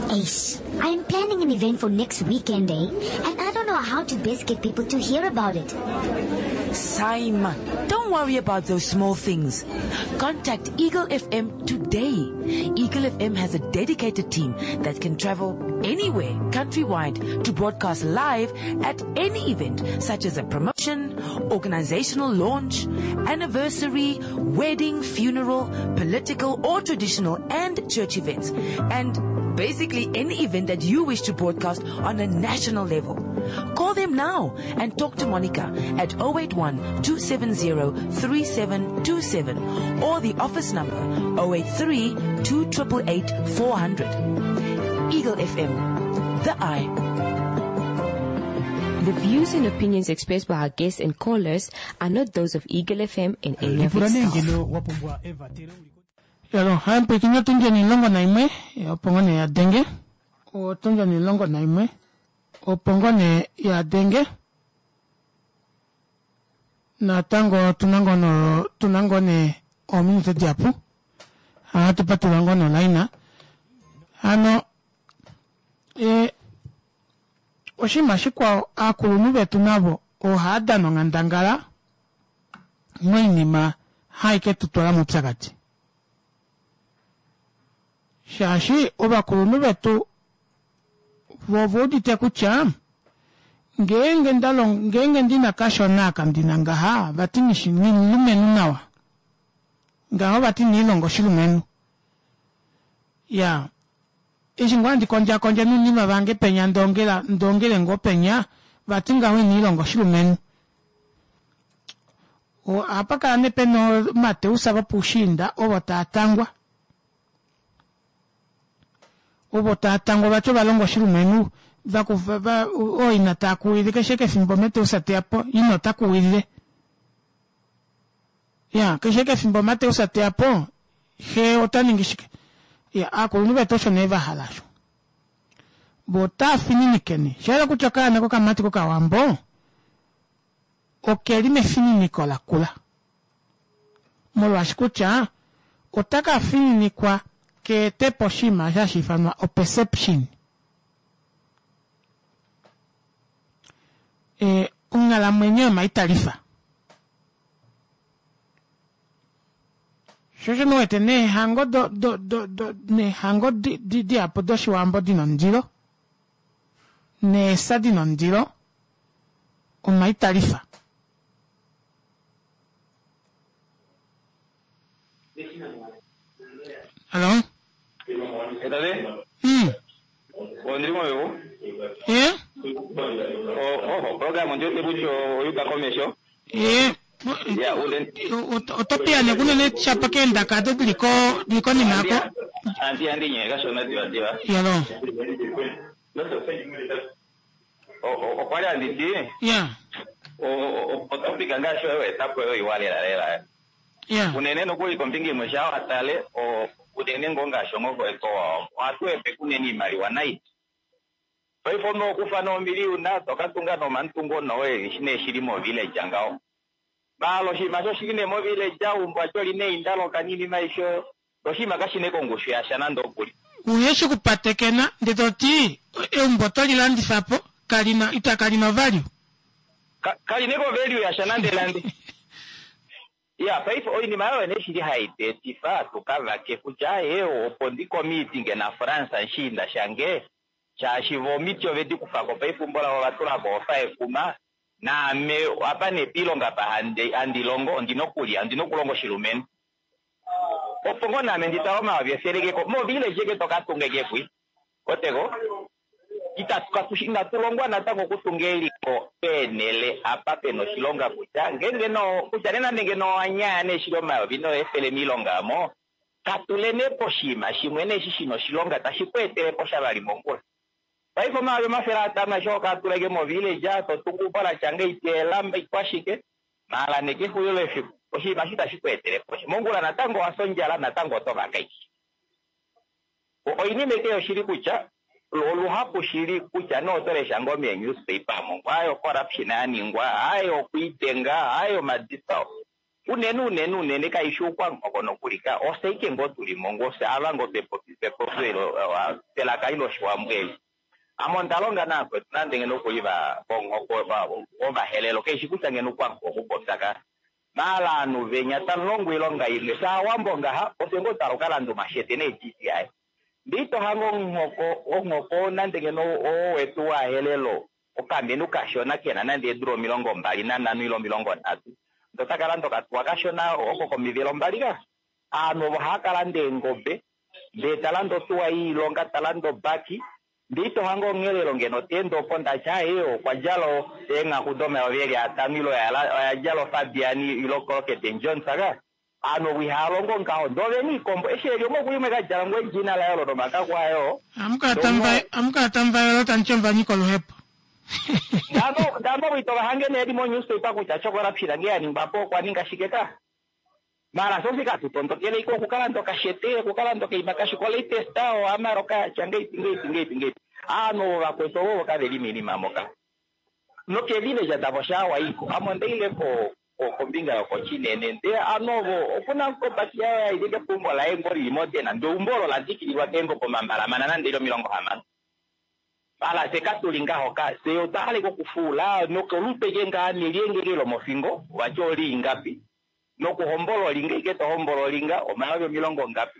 Ace, I'm planning an event for next weekend, eh? And I don't know how to best get people to hear about it. Simon, don't worry about those small things. Contact Eagle FM today. Eagle FM has a dedicated team that can travel anywhere countrywide to broadcast live at any event such as a promotion, organizational launch, anniversary, wedding, funeral, political or traditional and church events. And basically any event that you wish to broadcast on a national level. Call them now and talk to Monica at 081 270 3727 or the office number 083 2888 400. Eagle FM, the eye. The views and opinions expressed by our guests and callers are not those of Eagle FM and any of its staff. Yalo, hai mpwikinyo otundi 11, opo ngoo nee ya denge. Otundi 11, opo ngoo nee ya denge. Natango otuna ngoo no, tuna ngoo nee oominute dihapu. Ohatu patulula ngoo nolaina. Hano, e, oshinima shikwao, aakulunhu vetu navo ohaa dana onghandangala moinima hai ke tu twala moupyakadi. Shaashi ovakulunhu vetu vo ove udite kutya ngeenge nda ngeenge ndi na kashona aka ndi na ngaha vati nishi nimulumenhu nawa. Ngaho vati niilonga oshilumenhu. Ya eshi ngoo handi kondjakondja nounima vange penya ndoongela ndoongele ngoo penya vati ngaho iniilonga oshilumenhu. Ohapa kala nee pena ooMateus vopuushiinda ovo taa tangwa. Ovo taa tangwa vati ova longa oshilumenhu vaku va ooina taa kuwilile keshe kefimbo Mateus teya po ina ota kuwilile. Ya keshe kefimbo Mateus teya po xe ota ningi shike. Ya aakulunhu vetu osho nee va hala osho. Vo otaa fininike nee. Sha yela kutya okaana kokamati kokawambo oke li mefininiko lakula. Molwaashi kutya otaka fininikwa ka ete po oshinima osho hashi ifanwa operception. E, onghalamwenyo yomaitalifa. Sho osho wete neehango do, do, do, do, neehango di, di, dihapu dOshiwambo di na ondilo, neesa di na ondilo, omaitalifa. Hallo? Etate? Ondili mombepo? Eh? Oh, program ondi wete kutya oyuka komesho. Eh, Ya, unene. oto piyaneke unene shapa keendaka ado dili ko dili konima yako. Andi andi nye kashona diva diva. Yalo. Okwa li handi ti Ya. otopika ngaashi oyo eta po oyo iwa lela lela. Ya. Unene nokuli kombinga imwe shaa wa tale unene ngoo ngaashi omoko wetu oo ohatu hepeke unene iimaliwa nayi. Paife omunhu okufa noomiliyuna to ka tunga nomatungo nowe nee shili movillage ngaho. Maala oshinima sho shili nee movillage eumbo acho oli na einda lokanini aishe oyo oshinima kashina eke ongushu yasha nande okuli. Uye shi kupatekena ndee to ti eumbo oto li landifa po kalina ita kalina ovalue. Kalina eke ovalue yasha nande nande. Ya, paife oinima oyo nee shili hai tu etifa tu ka vake kutya aaye opo ndi komiitinge naFrance mushiinda shange, shaashi vo omiti ove di kufa ko paife eumbo lavo ova tula ko ofa yekuma, naame apa nee piilonga apa handi handi longo ondi na okulya, ondi na okulonga oshilumenhu. Opo ngoo naame ndi tale 100 ke ko movillage eke to ka tunga eke kwi. Oteko? Itatu katu shi inatu longwa natango okutunga eliko peenhele apa pena oshilonga kutya ngeenge no kutya nee nande ngeno owa nyaya nee shili 1000 miilonga omo, katule nee poshinima shimwe nee eshi shina oshilonga tashi ku etele po sha vali mongula. Paife 500 eshi oka tula ike movillage to tungu eumbo latya ngahelipi eelamba ikwashike, maala nee kexulilo lefiku oshinima eshi itashi ku etele po sha. Mongula natango owa fya ondjala natango oto vaka ike. Oinima eke yoshili kutya oluhapu shili kutya nee oto lesha ngoo mee newspaper mo ngoo aaye ocorruption ya ningwa, aaye okwiidenga, aaye omadipao. Unene unene unene kaishi oukwamuhoko nokuli ka, ofye ike ngoo tuli mo ngoo ofye ava ngoo pepopyo pelaka eli loshiwambo eli. Ame onda longa navakwetu nande ngeno okuli va vomuhoko wovaherero kaishi kutya ngeno oukwamuhoko okupopya ka. Maala aanhu venya tamu longo oilonga imwe fye aawambo ngaha ofye ngoo twa luka landa omashete neetiti aye. Ndee ito hange omuhoko omuhoko nande ngeno oo wetu waahelelo okamenhu kashona kena nande eedula 25 ile 30 ndee otaka landa okatuwa kashona oko komivelo mbali ka. Aanhu ovo ohava ka landa eengobe ndee ta landa otuwa yoilonga ta landa obaki Ndee ito hange onghelelo ngeno ta ende opo nda tya ee okwa djala eenghaku domayovi eli atano ile oya djala oFabiani ile oCrockett and Jones ka. Ovanhu ovo ihava longo ngaho ndee ove na oikombo eshi eli omo kuimwe ka djala ngoo edjina laye olo nomakaku ayo. Amu kala tamu va yolo tamu ti omuvanyika oluhepo. Ndee ame ovo ito va hange nee li monewspaper kutya corruption ngee ya ningwa po okwa ninga shike ka. Mara fye ofye atu tondokele ike okukalanda okashete, okukalanda okaima kasho kolatest, oAmarok yatya ngeipi ngeipi ngeipi ngeipi. Aanhu ovo vakwetu ovovo kave li miinima moka. Nokeevillage davo shaa wa yiko. Ame onda ile ko kombinga yokOtjinene ndee aanhu ovo okuna kobaki yaye ya ile keumbo laye ngoo lili modena ndee eumbo olo la dikililwa keengobe omambalamana nande eli 60. Mara fye katu li ngaho ka, fye otwa hala ike okufuula nokolupe ike ngaa nelyenge ike lomofingo vati oli ingapi. Nokuhombola olinga ike to hombola olinga 20 ngapi.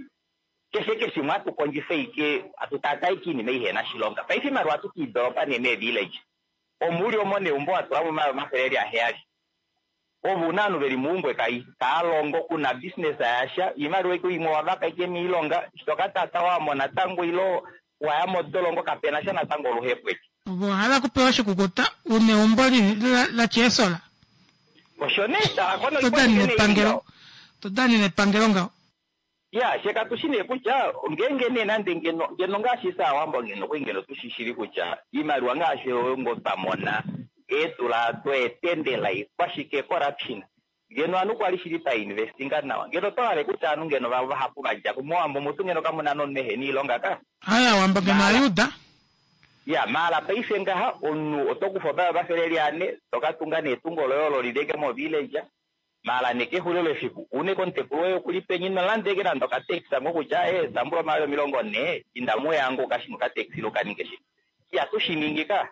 Keshe keshimwe atu kondjifa ike atu taataa ike iinima ihena shilonga. Paife iimaliwa atu ki idoropa nee mee village. Omu uli omo neumbo wa tulamo 700 000. Ove una ovanhu veli meumbo kai taa longo kuna business yasha iimaliwa ike imwe owa vaka ike miilonga eshi toka taataa wa mona natango ilo waya modolongo kapena sha natango oluhepo eke. Ove owa hala okupewa oshikukuta u neumbo li la tya eesola. Osho nee, tala ko To danene epangelo, to danene epangelo ngaho. Ya, fye katu shi nee kutya ngeenge nee nande ngeno, ngeno ngaashi fye Aawambo ngeno okwe ngeno tu shi shili kutya iimaliwa ngaashi oyo ngoo twa mona eedula doetendela ikwashike corruption, ngeno ovanhu kwali shili twa investinga nawa, ngeno otwa hala kutya ovanhu ngeno vahapu va dja ko. Mowambo mutu ngeno kamu na nomunhu ehena oilonga ka. Haye Aawambo ngeno a yuda. Ya, maala paife ngaha omunhu oto kufa 400 000 to ka tunga nee etungo loye olo lili eke movillage, maala nee kexulilo lefiku u neke omutekulu woye okuli peni, ino landa eke nande okataxi ngoo kutya ee tambula 40 000 inda muyango uka shinge okataxi ile uka ninge shike. Ihatu shi ningi ka.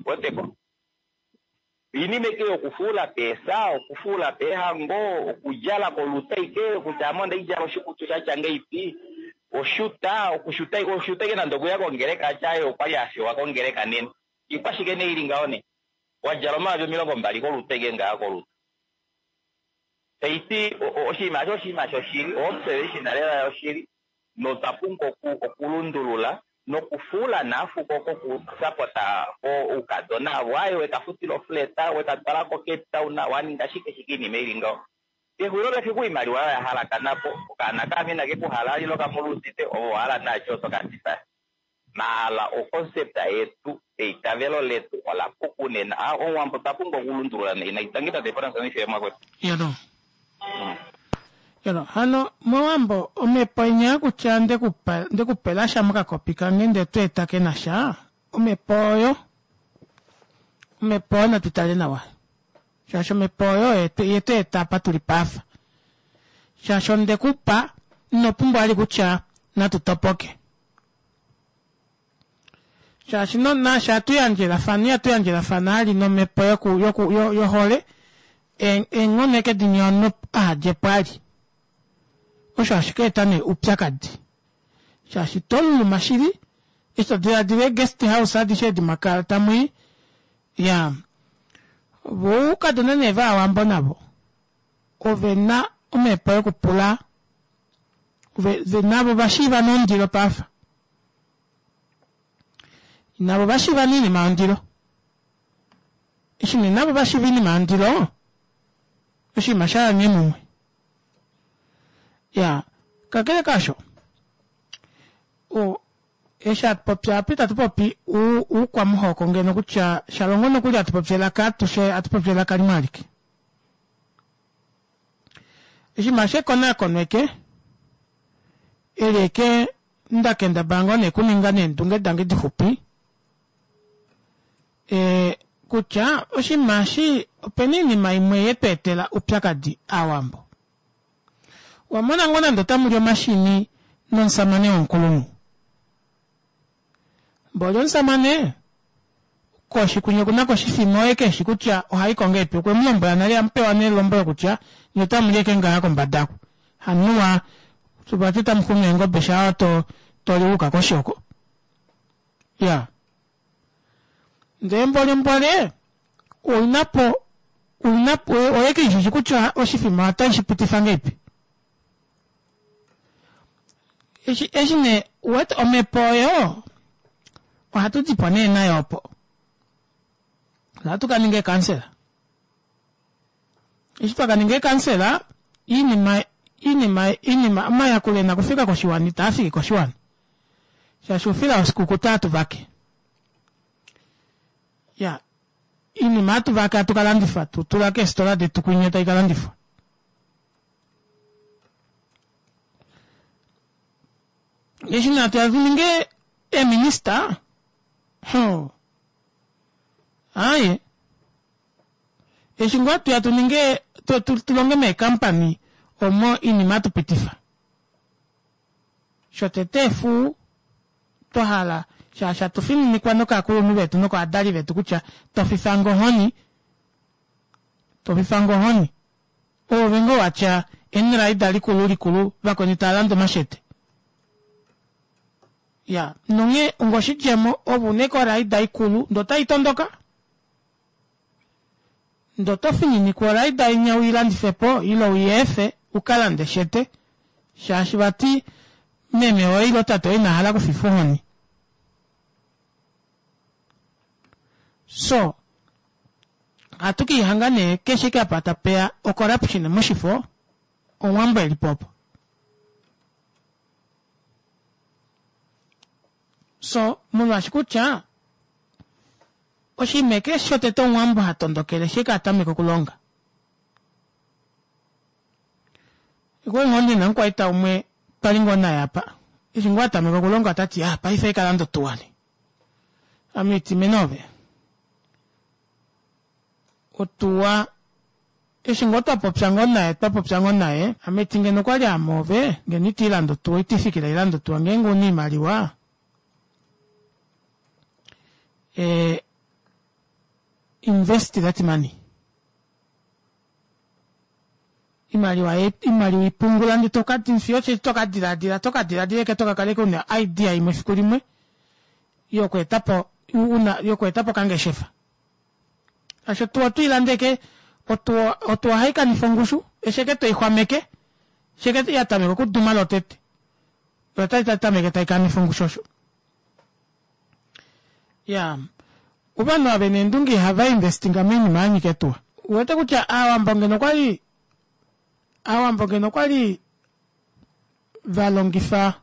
Weteko? Oinima eke yokufuula peesa, okufuula peehango, okudjala kolutu aike kutya ame onda djala oshikutu sha tya ngeipi, oshuta, okushuta oshuta ike nande okuya kongeleka atya aye okwali a fewa kongeleka nena. Ikwashike nee ili ngaho nee? Wa djala 20 000 kolutu aike ngaha kolutu. Tai ti oshinima eshi oshinima shoshili, oobservation lela yoshili notwa pumbwa okulundulula nokufuula naafuko kokusapota oukadona avo. Aaye weka futila ofleta, weka twala koCape Town, wa ninga shike shike iinima ili ngaho. Pexulilo lefiku oimaliwa oyo oya halakana po, okaana kaame inake ku hala ile okamuluudite, ove owa hala naasho oto ka dipaya. Maala oconcept yetu, eitavelo letu ola puka unene. A Omuwambo otwa pumbwa okulundulula nayi nayi. Tangi tate Frans Nifeemwa kwetu. Yolo. Yolo. Hano mOwambo omhepo inya yokutya ndekupa ndekupela sha mokakopi kange ndee to eta ke na sha, omhepo oyo omhepo oyo natu tale nawa. Shaashi omhepo oyo ye tu eta apa tu li paafa. Shaashi onde ku pa, ino pumbwa vali kutya natu topoke. Shaashi naashi hatu yandjelafana, ihatu yandjelafana vali nomhepo yoku, yoku, yohole. Eenghono eke dinya omunhu aha dje po ali. Osho hashi ka eta nee oupyakadi. Shaashi to luluma shili eshi to diladila eeguest house adishe edi mwa kala tamu i. Ya. Vo oukadona nee vaawambo navo ove na omhepo yokupula ve navo va shiiva nondilo paafa. Navo va shiiva oinima yondilo. Eshi nee navo va shiiva oinima yondilo, oshinima sha ya nee mumwe. Ya, kakele kaasho, o, eshi hatu popi apa itatu popi uukwamuhoko ngeno kutya shalongo nokuli hatu popi elaka atushe hatu popi elaka limwe alike. Oshinima shekonakono eke, eli eke nda kendabala ngoo nee okuninga neendunge dange dixupi, e, kutya oshinima eshi opena oinima imwe yetu etela oupyakadi aawambo. Owa mona ngoo nande otamu li omashini nomusamane womukulunhu? Mboli omusamane koshi kwinya okuna ko oshifima oye keshi kutya ohaiko ngeipi okwe mu lombwela nale amupewa nelombwelo kutya nye otamu li eke ngaha kombada aku hanuwa vati otamu xunu eengobe shaa to toli wuuka koshi oko ya ndee mboli mbole ouna po ouna po oye keishishi kutya oshifima otashi pitifa ngeipi eshi eshi nee uwete omhepo oyo ohatu di po nee nayo opo ohatu ka ninga eekansela eshi twa ka ninga eekansela iinima iinima iinima omayakulo ena okufika koshiwana itaa fiki koshiwana shaashi oufila woshikukuta hatu vake ya iinima hatu vake hatu ka landifa tu tula keesitola detu kwinya tai ka landifwa Eshi natu ya tu ninge eeminista, ho, aaye, eshi ngoo atu ya tu ninge tu, tu, tu longe meekampani omo iinima hatu pitifa. Shotete efu twa hala shaashi atu fininikwa nokaakulunhu vetu nokoadali vetu kutya to fifange ohoni, to fifange ohoni. Oove ngoo wa tya enraida likulu likulu vakweni tava lande omashete. Ya, nonghee ongoshidjemo ove una eke oraida ikulu ndee otai tondoka. Ndee oto fininikwa oraida inya ui landife po ile ui efe u ka lande eshete shaashi vati meme woye ile tate woye ina hala okufifwa ohoni. So, ohatu ke ihanga nee keshe ike apa tapeya o corruption moshifo, Omuwambo elipo opo. So, molwaashi kutya oshinima eke shotete Omuwambo ha tondokele eshi eke a tameka okulonga. Okwali ngoo ndina omukwaita umwe twali ngoo naye apa, eshi ngoo a tameka okulonga ota ti, ah paife haika landa otuwa nee. Ame iti mene ove. Otuwa eshi ngoo twa popya ngoo naye twa popya ngoo naye ame ti ngeno okwali ame ove ngeno iti landa otuwa iti fikila ilanda otuwa ngeenge una iimaliwa eh, invest that money imaliwa imaliwa ipungula ndi toka fiyo osheshi toka diladila toka diladila eke toka kala eke una idea imwe efiku limwe yokweetapo una yokweetapo okangeshefa shaashi otuwa oto ilande eke otuwa otuwa ohai kanifa ongushu eshi eke toixwameke eshi eke ya tameka okuduma lwotete otai tameke tai kanifa ongushu osho ya ovanhu ava vena eendunge ihava investinga moinima ya nyika etuwa uwete kutya aawambo ngeno okwali aawambo ngeno okwali va longifa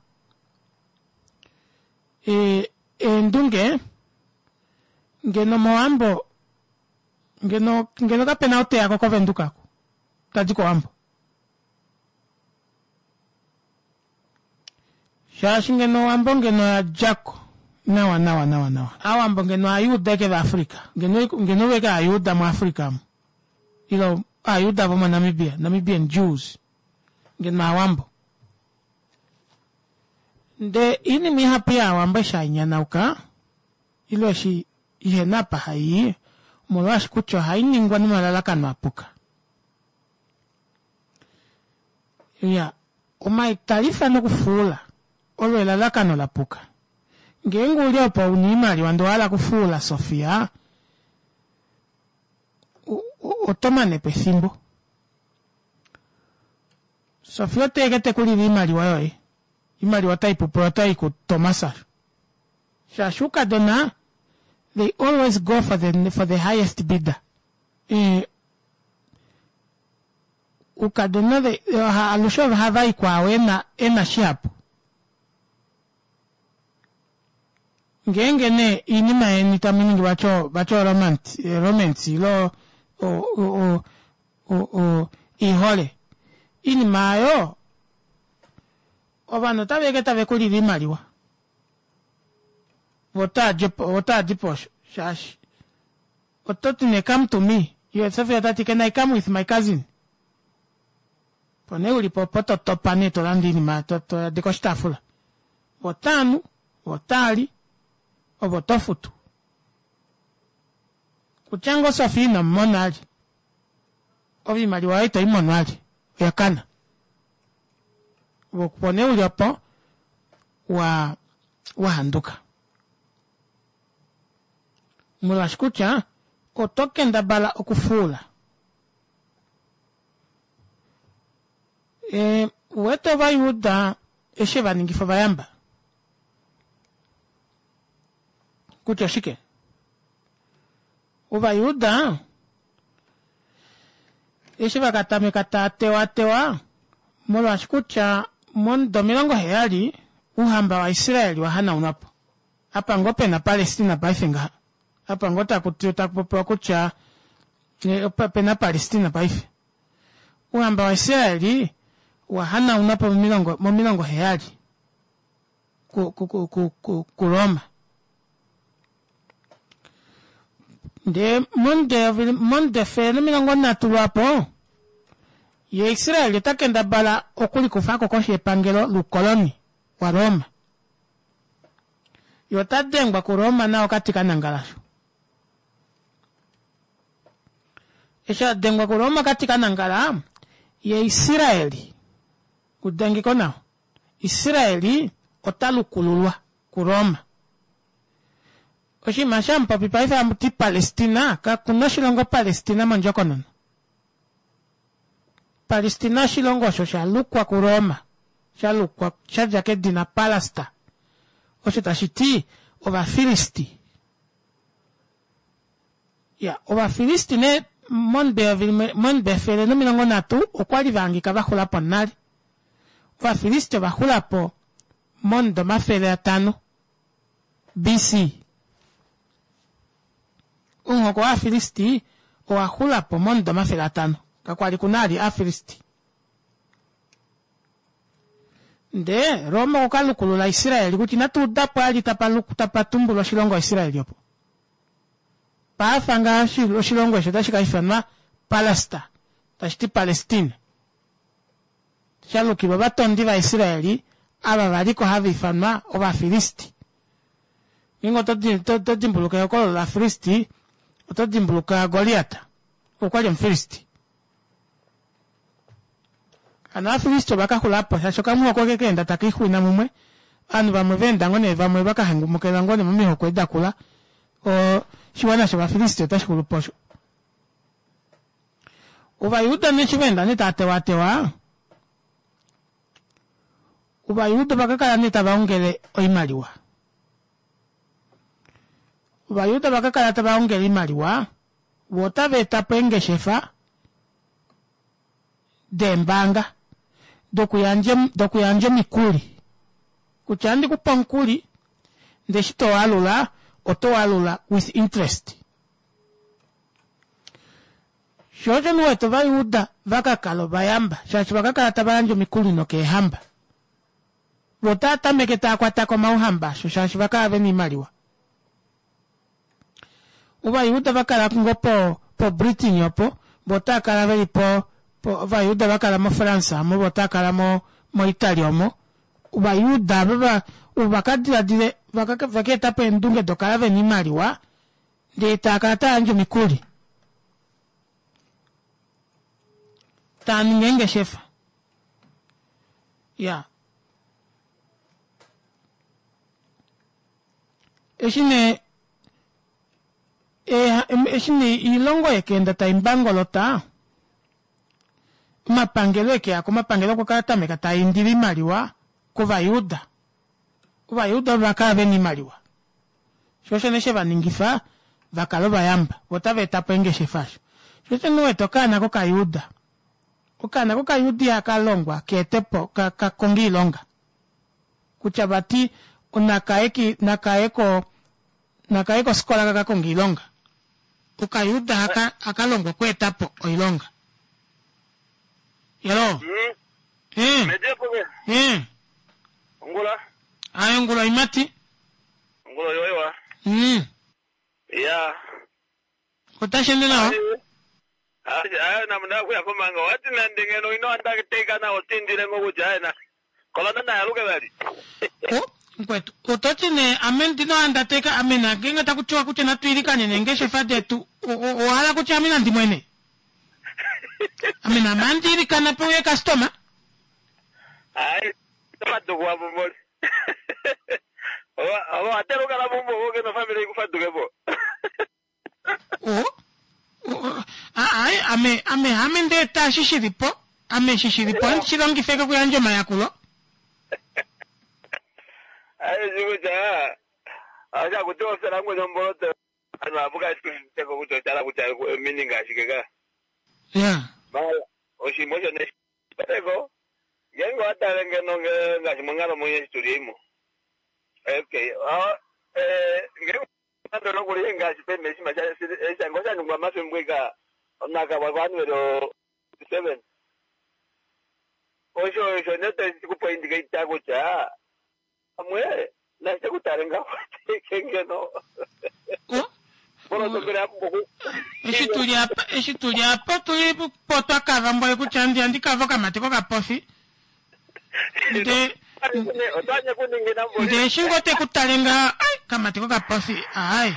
e, eendunge ngeno mowambo ngeno ngeno kapena oteyako kovenduka ako tadi kowambo Shaashi ngeno Owambo ngeno oya djako nawa nawa nawa nawa. Aawambo ngeno Aayuuda eke vaAfrica. Ngeno ngeno ove eke Aayuuda muAfrica amu. Ile Aayuuda vomoNamibia, Namibian Jews. Ngeno Aawambo. Nde iinima ihapu yaawambo eshi hai nyanauka, ile eshi ihena apa hai i, omolwaashi kutya ohai ningwa nomalalakano apuka. Ya, omaitalifa nokufuula olo elalakano lapuka. Ngeenge uli opo una oimaliwa ndee owahala okufuula Sofia, oto manepo efimbo. Sofia oteeke tekulile oimaliwa yoye, oimaliwa otaipupo otai ku Thomas osho. Shaashi oukadona they always go for the, for the highest bidder. E, oukadona alushe ohava i kwaao ena, ena shihapu. Ngeenge nee oinima yeni tamu ningi vati vati oromance ile oihole, oinima aayo ovanhu otava eke tave ku lile oimaliwa vo otava di po osho shaashi oto ti nee come to me ye Sofia tati can I come with my cousin opo nee ulipo opo to topa nee to landa oinima to yadeke oshitaafula vo otaanu vo otaali ove oto futu kutya ngoo Sofia ino mumona ali ove oimaliwa yoye ito imono ali oya kana opo nee uli opo wa wahanduka molwaashi kutya oto kendabala okufuula e, wete Ovajuda eshi va ningifa ovayamba kutya oshike Ovajuda eshi va ka tameka taa tewatewa molwaashi kutya momudo 70 ouhamba waIsrael wa hanaunwa po apa ngoo pena Palestina paife ngaha apa ngoo taku taku popiwa kutya pena Palestina paife Ouhamba waIsrael owa hanaunwa po momilongo heyali kuRoma. Ndee momudo 130 lwaapo, ye Israel ota kendabala okulikufa ko koshi yepangelo loukoloni waRoma. Ye ota dengwa kuRoma na okati ka nangalasho. Eshi a dengwa kuRoma okati ka nangala, ye Israeli, udengeko nawa, Israeli ota lukululwa kuRoma. Oshinima shamupopi paife amu ti Palestina, kakuna oshilongo Palestina mondjokonona. Palestina oshilongo osho sha lukwa kuRoma, sha lukwa sha dja kedina Palasta, osho tashi ti Ovafilisti. Ya, Ovafilisti nee momudo 130 okwa li va hangika va xula po nale. Ovafilisti ova xula po momudo 500 BC. Omuhoko wOvafilisti owa xula po momudo 500. Kakwa li ku na ali Aafilisti. Ndee Roma okwa ka lukulula Israel kutya inatu uda po ali tapa tumbulwa oshilongo Israel opo. Paafa ngaashi oshilongo eshi otashi ka ifanwa Palasta, tashi ti Palestina. Sha lukilwa ovatondi vaIsraeli ava va li ko hava ifanwa Ovafilisti. Ngeenge oto dimbuluka ehokololo lOvafilisti, oto dimbuluka Goliat, okwa li Omufilisti. Hano Ovafilisti ova ka xula po, shaashi okamuhoko ke ka enda taka ixwina mumwe. Ovanhu vamwe va enda ngoo nee vamwe va ka hengumukila ngoo nee momihoko edi dakula. Oshiwana shOvafilisti otashi xulu po osho. Ovajuda nee eshi va enda nee tava tewatewa, Ovajuda ova ka kala nee tava ongele oimaliwa. Ovajuda ova ka kala tava ongele oimaliwa, vo otava eta po eengeshefa deembaanga dokuyandja dokuyandja omikuli kutya ohandi ku pe omukuli ndee eshi to alula oto alula with interest. Sho osho ndi wete Ovajuda va ka kala ovayamba shaashi va ka kala tava yandje omikuli nokeehamba. Vo otava tameke tava kwata ko omauhamba asho shaashi va kala ve na oimaliwa. Ovajuda va kala ngoo po po Britain opo, vo otava kala ve li po, po Ovajuda va kala moFrance omo, vo otava kala mo moItaly omo. Ovajuda ava va ova ka diladile va ka va ka eta po eendunge dokukala ve na oimaliwa ndee tava kala tava yandje omikuli. Tava ningi eengeshefa. Ya. Eshi nee eshi nee iilongo yekeenda tai mbangolota, omapangelo eke ya ko, omapangelo okwa kala tameka taa indile iimaliwa kOvayuda. Ovayuda ova kala ve na iimaliwa. Sho osho nee she va ningifa va kale ovayamba, vo otava eta po eengeshefa osho. Sho osho nee u wete okaana kOkayuda, okaana kOkayuda ihaka longwa ka ete po, ka ka konge oilonga. Kutya vati naka ye naka ye ko naka ye kofikola ka ka konge oilonga. Okayuda haka haka longwa okweeta po oilonga. Hello. Eh. Eh. Ongula. Aye ongula imati. Ongula oyoiwa. Ya. Otashi ende nawa? Aye namuna kuya komanga wati nande ngeno ino andateka na otindile ngo kutya aye na kolona na yaluke vali. Mukwetu, oto ti nee ame ndino andateka ame na ngeenge taku tiwa kutya natu ilikane neengeshefa detu owa hala kutya ame nandi mwene? Ame naame andi ilikana pe uye customer? Aye, faduku wapo mboli. Ova watela ukala mumbo voke nofamily ikufadukepo. O, aye ame ame hame ndeeta eshi shi li po, ame eshi shi li po ohandi shi longifa eke okuyandja omayakulo. Aye shi kutya osha kutiwa ofela ngwenya omboloto ovanhu apo kashi kuteko kutya oshala kutya meaning ashike ka. Ya. Mala oshinima osho ne peleko ngeenge owa tale ngeno ngaashi monghalamwenyo eshi tuli eimo. Okay. Eh ngeenge nande nokuli ngaashi pena oshinima sha ngoo sha ningwa mafimbo eka omunhu akabwa kovanhu veli o 7 osho osho nee tashi ku pa indicator kutya pamwe nashi ku tale ngaho ke ngeno eshi tuli apa eshi tuli apa tuli po twa kava mbole kutya ndi andi kava okamati kokapofi nde ndee eshi ngoo te ku tale ngaha ai kamati kokapofi ai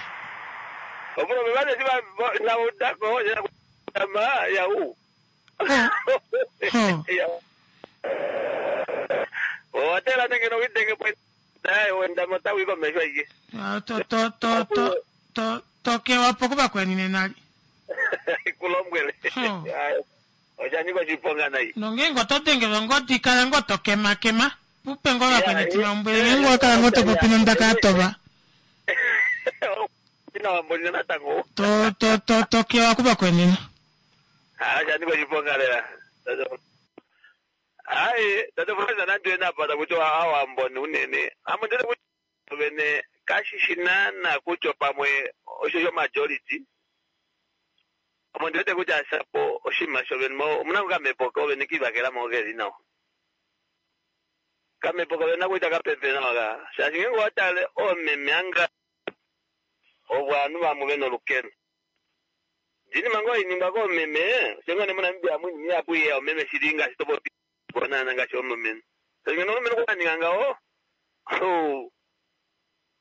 Ah, to to to to to to kewa po kuvakweni nena li kulombwele osha nyika oshiponga nai. Nongeenge oto dengelwa ongodi kala ngoo to kemakema upe ngoo vakweni etimaumbwile ngeenge owa kala ngoo to popi nondaka ya tova to to to to kewa kuvakweni no. Ah, osha nyika oshiponga lela. Ai, tate Francis nande ena apa taku tiwa Aawambo unene. Ame ondele kutya vene kashi shi naana kutya pamwe osho sho majority. Ame ondi wete kutya shapo oshinima shovene omuna ngo okamhepo kovene kiivakela mo keli nawa. Okamhepo kovene naku ita kapepe nawa ka. Shaashi ngeenge owa tale oomeme anga ovo ovanhu vamwe vena olukeno. Iinima ngoo hai ningwa koomeme, osho ngoo nee moNamibia amu oinima ihapu ii yoomeme shili ngaashi to popi naana ngaashi omulumenhu. Shaashi ngeno omulumenhu okwa ninga ngaho, hoo,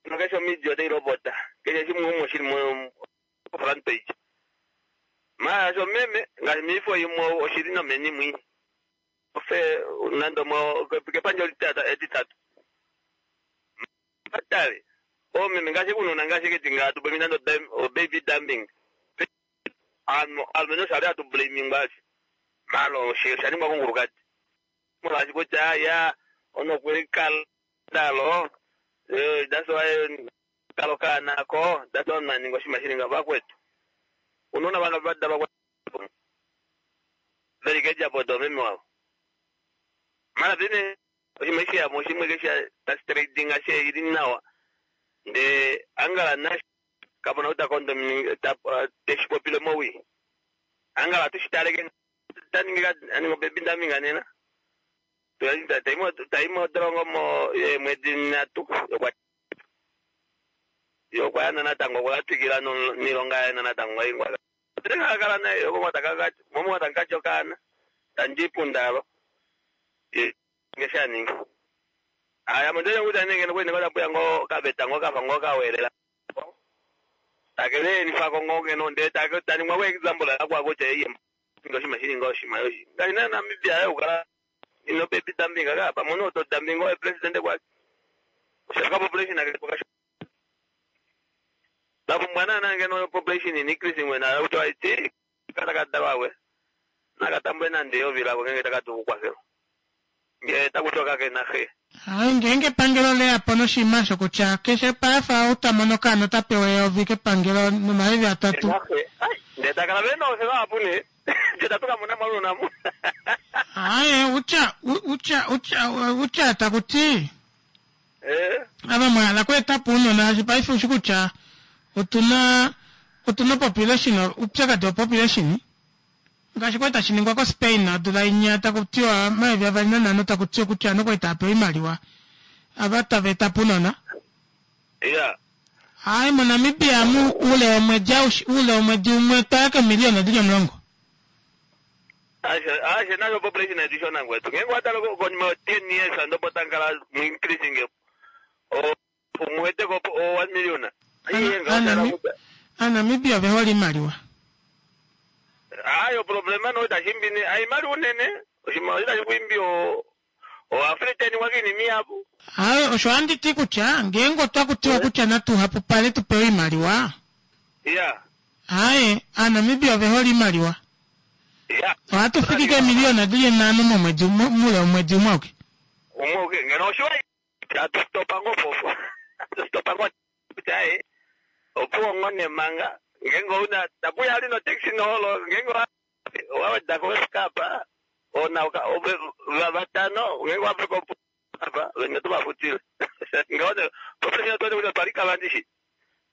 ngeno keshe omedia otai lopota, keshe shimwe umwe oshili mo front page. Maala shomeme, ngaashi moifo imwe oshili nomeni mwii. Ofe nande omo kepandja etitatu. Patale, oomeme ngaashi kunona ngaashi keti nga hatu popi nande o baby dumping. Aalumenhu osho ali hatu blamingwa ashi. Maala osha ningwa komukulukadi. Molwaashi kutya ya ono okwe kalo that's why kalo kaana ko that's why omunhu a ninga oshinima shili ngaho vakwetu. Unona vanga va dalwa kwa veli keedjapo doomeme wavo. Mara pene oshinima eshi yamo oshimwe kesha tashi trading she ili nawa ndee angala nash kapona ou ta condemning ta teshi popile mowii. Angala atu shi tale ke ta ningi aninga obaby ndaminga nena. Tai modolongo mo yeemwedi nhatu yokwa yokwa yana natango okwa twikila noilonga yaye natango ingwa. Kala naye momwata kacho kaana tandipundalo ngeshaninga. Aya mondele kutya nenge nokwene kotapuya ngo kaveta ngo kafa ngo kawelela. Takele nifako ngo ngeno ndee taningwa ku example yakwa kutya iye ngo shima shininga oshima yoshi. Ngaashi na Namibia aye ukala Ino baby dumping ka pamwe no to dumping oye president kwali. Oshaka population ake kasho. Bapumbwa naana ngeno population in increasing wena kuti waiti kana kadalwa we. Nakatambwe nande yovila ngenge takati kukwafela. Nge takutoka ke naxe. Hai, ngeenge epangelo leya po noshinima osho kutya keshe paife ou ta mono okaana ota pewa eyovi kepangelo nomayovi atatu. Naxe. Ai, ndee takala vena ose vahapu ne. Tatu kamona mwalunamu. Aye, utya utya utya utya taku ti Eh. ava mwa hala okweeta po ounona shaashi paife ushi kutya otuna otuna population oupyakadi wopopulation ngaashi kwali tashi ningwa koSpain odula inya taku tiwa 2005 taku tiwa kutya ovanhu okwali tava pewa oimaliwa ava tava eta po ounona. Yeah. Hai, moNamibia mu oule womwedi aushe oule womwedi umwe otwa ya keemiliyona dili 10. Ashe ashe nayo population yetu ishona ngwetu. Ngenge watala konima yo 10 years andopo tankala mu increasing. O umuwete ko o 1 million. Iye ngawatala kutya. Aanamibia ove hole iimaliwa. Ayo problema no tashimbi ne aimali unene. Oshimaliwa itashi kuimbi o o African wakini miapo. Hai, osho handi ti kutya ngeenge otwa kutiwa kutya natu hapupale tu pewe oimaliwa. Yeah. Hai, Aanamibia ove hole iimaliwa. Yeah. Ohatu fiki keemiliyona dili nhano momwedi umwe moule womwedi umwe auke. Umwe auke ngeno osho atustopa ngo fofo. Atustopa ngo kutya e opuwo ngo nemanga ngenge ouna tapuya ali no taxi noholo ngenge wawedako wesikapa ona vatano ngenge wafika apa vene tovafutile ngeno population twete kutya twalika vandishi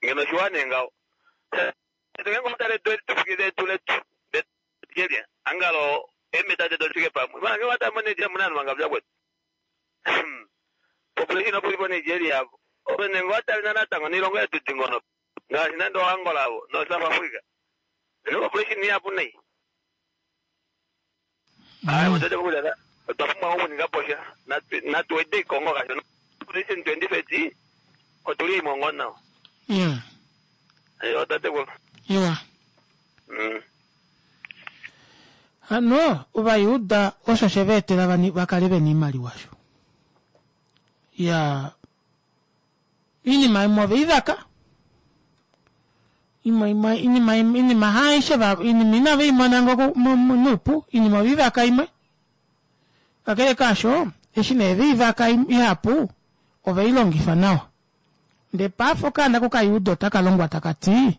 ngeno shiwane ngaho ngenge omutale tufikile tuletu Nigeria angalo emeta tetu fike pamwe mana ngenge watamo Nigeria muna vanhu vanga vyakwetu population opo ilipo Nigeria apo ove nenge watalina natango niilongo yetu dingono ngaashi nande oAngola avo no South Africa ino population ihapu nai. Aye, otwete kutya otwa pumbwa okuninga po sha natu wede ikongo kashona population 2030 otuli imongo nawa. Yeah. Eh, otatekulu. Iwa. Hano Ovajuda osho she va etela va kale ve na oimaliwa osho. Ya oinima imwe ove i vaka. Imwe imwe inima inima haaishe va inima inave i mona ngoo noupu, inima ove i vaka imwe. Kakele kaasho, eshi nee ve i vaka ihapu, ove i longifa nawa. Ndee paife okaana kokaYuda otaka longwa taka ti,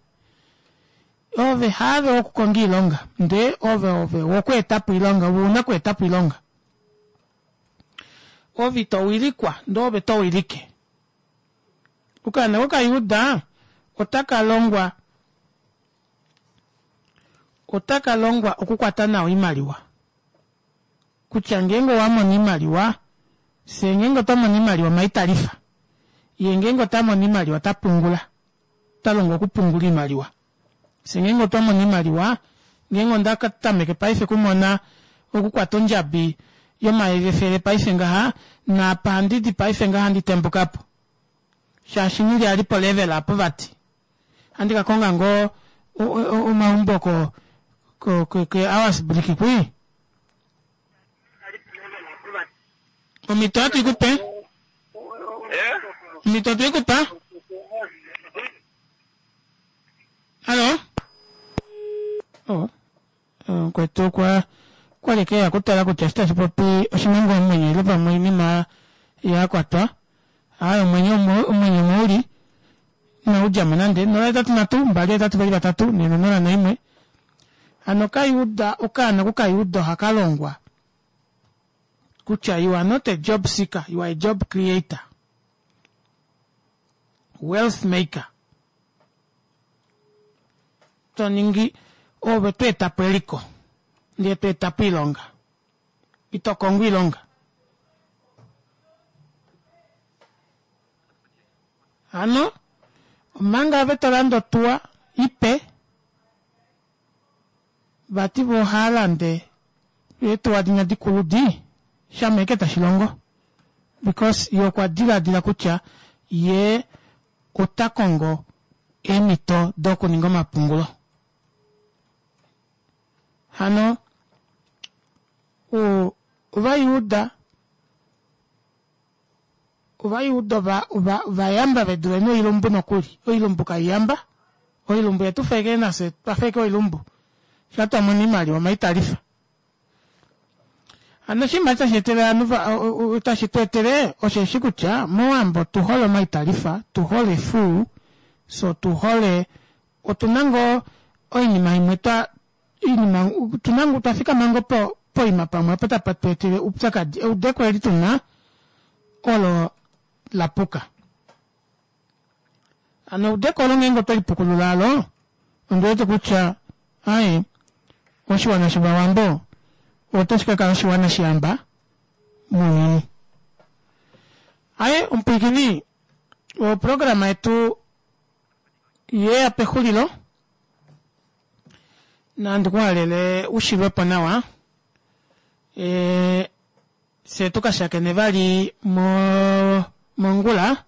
Ove haave wokukonga iilonga, ndee ove ove wokweeta po iilonga, ove una okweeta po iilonga. Ove ito wilikwa, ndee ove to wilike. Okaana kokaYuda otaka longwa otaka longwa okukwata nawa oimaliwa. Kutya ngeenge owa mona oimaliwa, fye ngeenge otwa mona oimaliwa omaitalifa. Ye ngeenge ota mono oimaliwa ota pungula. Ota longwa okupungula oimaliwa. Fye ngeenge otwa mona oimaliwa, ngeenge onda ka tameke paife okumona okukwata ondjabi yomayovi efele paife ngaha, naapa handi di paife ngaha handi tembuka po. Shaashi nghili a li po level apo vati. Ohandi ka konga ngoo omaumbo ko ko ko ke hours briki kwii. Omhito ohatu i ku pe. Omhito otwe i ku pa. Hallo? Oh. Mukwetu okwa kwa li keya okutala kutya eshi tashi popi oshina ngoo omwenyo ile pamwe oinima ya kwatwa. Aaye omwenyo omwenyo omo uli inau dja mo nande. 083 282 3 4 0 1. Hano Okayuda okaana koKayuda ohaka longwa kutya you are not a job seeker, you are a job creator. Wealth maker. To ningi ove to eta po eliko ndee to eta po iilonga. Ito kongo iilonga. Hano omanga ove to landa otuwa ipe Vati vo ohava lande eetuwa dinya dikulu di shama eke tashi longo because ye okwa diladila kutya ye ota kongo eemhito dokuninga omapungulo. Hano u. Ovajuda Ovajuda ova ova ovayamba ve dule noilumbu nokuli. Oilumbu kaiyamba. Oilumbu yetu feke nafye twa feke oilumbu. Sha twa mona oimaliwa omaitalifa. Hano oshinima tashi etele ovanhu tashi tu etele osheshi kutya mOwambo tu hole omaitalifa, tu hole efuu, so tu hole otuna ngoo oinima imwe twa oinima tuna ngoo twa fikama ngoo po poima pamwe opo tapa tu etele oupyakadi. Eudeko eli tuna olo la puka. Hano eudeko olo ngeenge otwe lipukulula alo, ondi wete kutya aye oshiwana shovawambo otashi ka kala oshiwana shiyamba mounyuni. Aye omupwilikini, oprograma yetu yeya pexulilo nandi ku halele u shilwe po nawa e, fye tu ka shakene vali mo mongula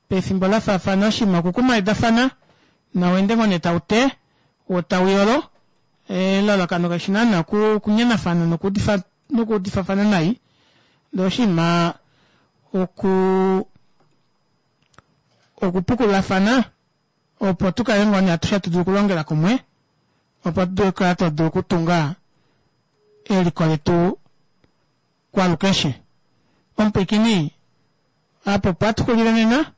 pefimbo la faafana oshinima okukumaidafana nawende ngoo nee tau te wo tau yolo elalakano kashi naana okunyanafana nokuudifa nokuudifafana nai ndee oshinima oku okupukululafana opo tu kale ngoo nee atushe hatu dulu okulongela kumwe opo tu dule okukala twa dula okutunga eliko letu kwalukeshe. Omupwilikini, apa opo hatu xulile nena,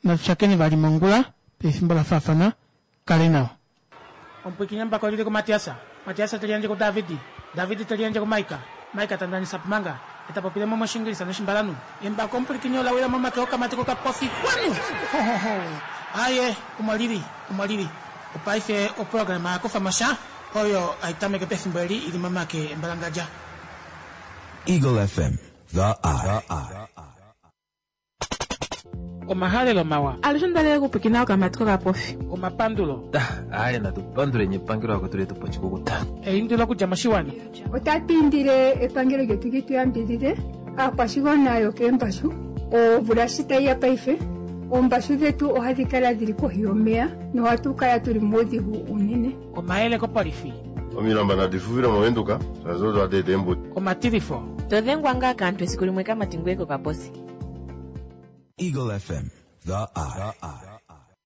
natu shakene vali mongula pefimbo la faafana. Kale nawa. Omupwilikini embako lili kuMatias, Matias te liyandje kuDavid, David te liyandje kuMaika, Maika ta ndanisa Pumanga, e ta popile mo mOshiingilisa nOshimbalanhu. Embako omupwilikini ola wila momake okamati kokapofi. Xwanu! Ho, ho, ho! Aaye, omo lili, omo lili. Opaife oprograma ya kufa mo sha, oyo hai tameke pefimbo eli i li momake embalangadja. Eagle FM, the eye. Omahalelo mawa. Alushe onda lela okupwikina okamati kokapofi. Omapandulo. Aye natu panduleni epangelo lakwetu letu po oshikukuta. Eindilo okudja moshiwana. Otatu indile epangelo lyetu li tu yambidhidhe aakwashigwana yokeembashu. Omvula shi tayi ya paife, oombashu dhetu ohadhi kala dhili kohi yomeya nohatu kala tuli muudhigu uunene. Omayele kopolifi. Omilamba nadi fufile mOvenduka, shaashi odo hadi eta eembudi. Omatilifo. To dhengwa ngaa kaantu esiku limwe kamati ngweye kokaposi. Eagle FM, the eye.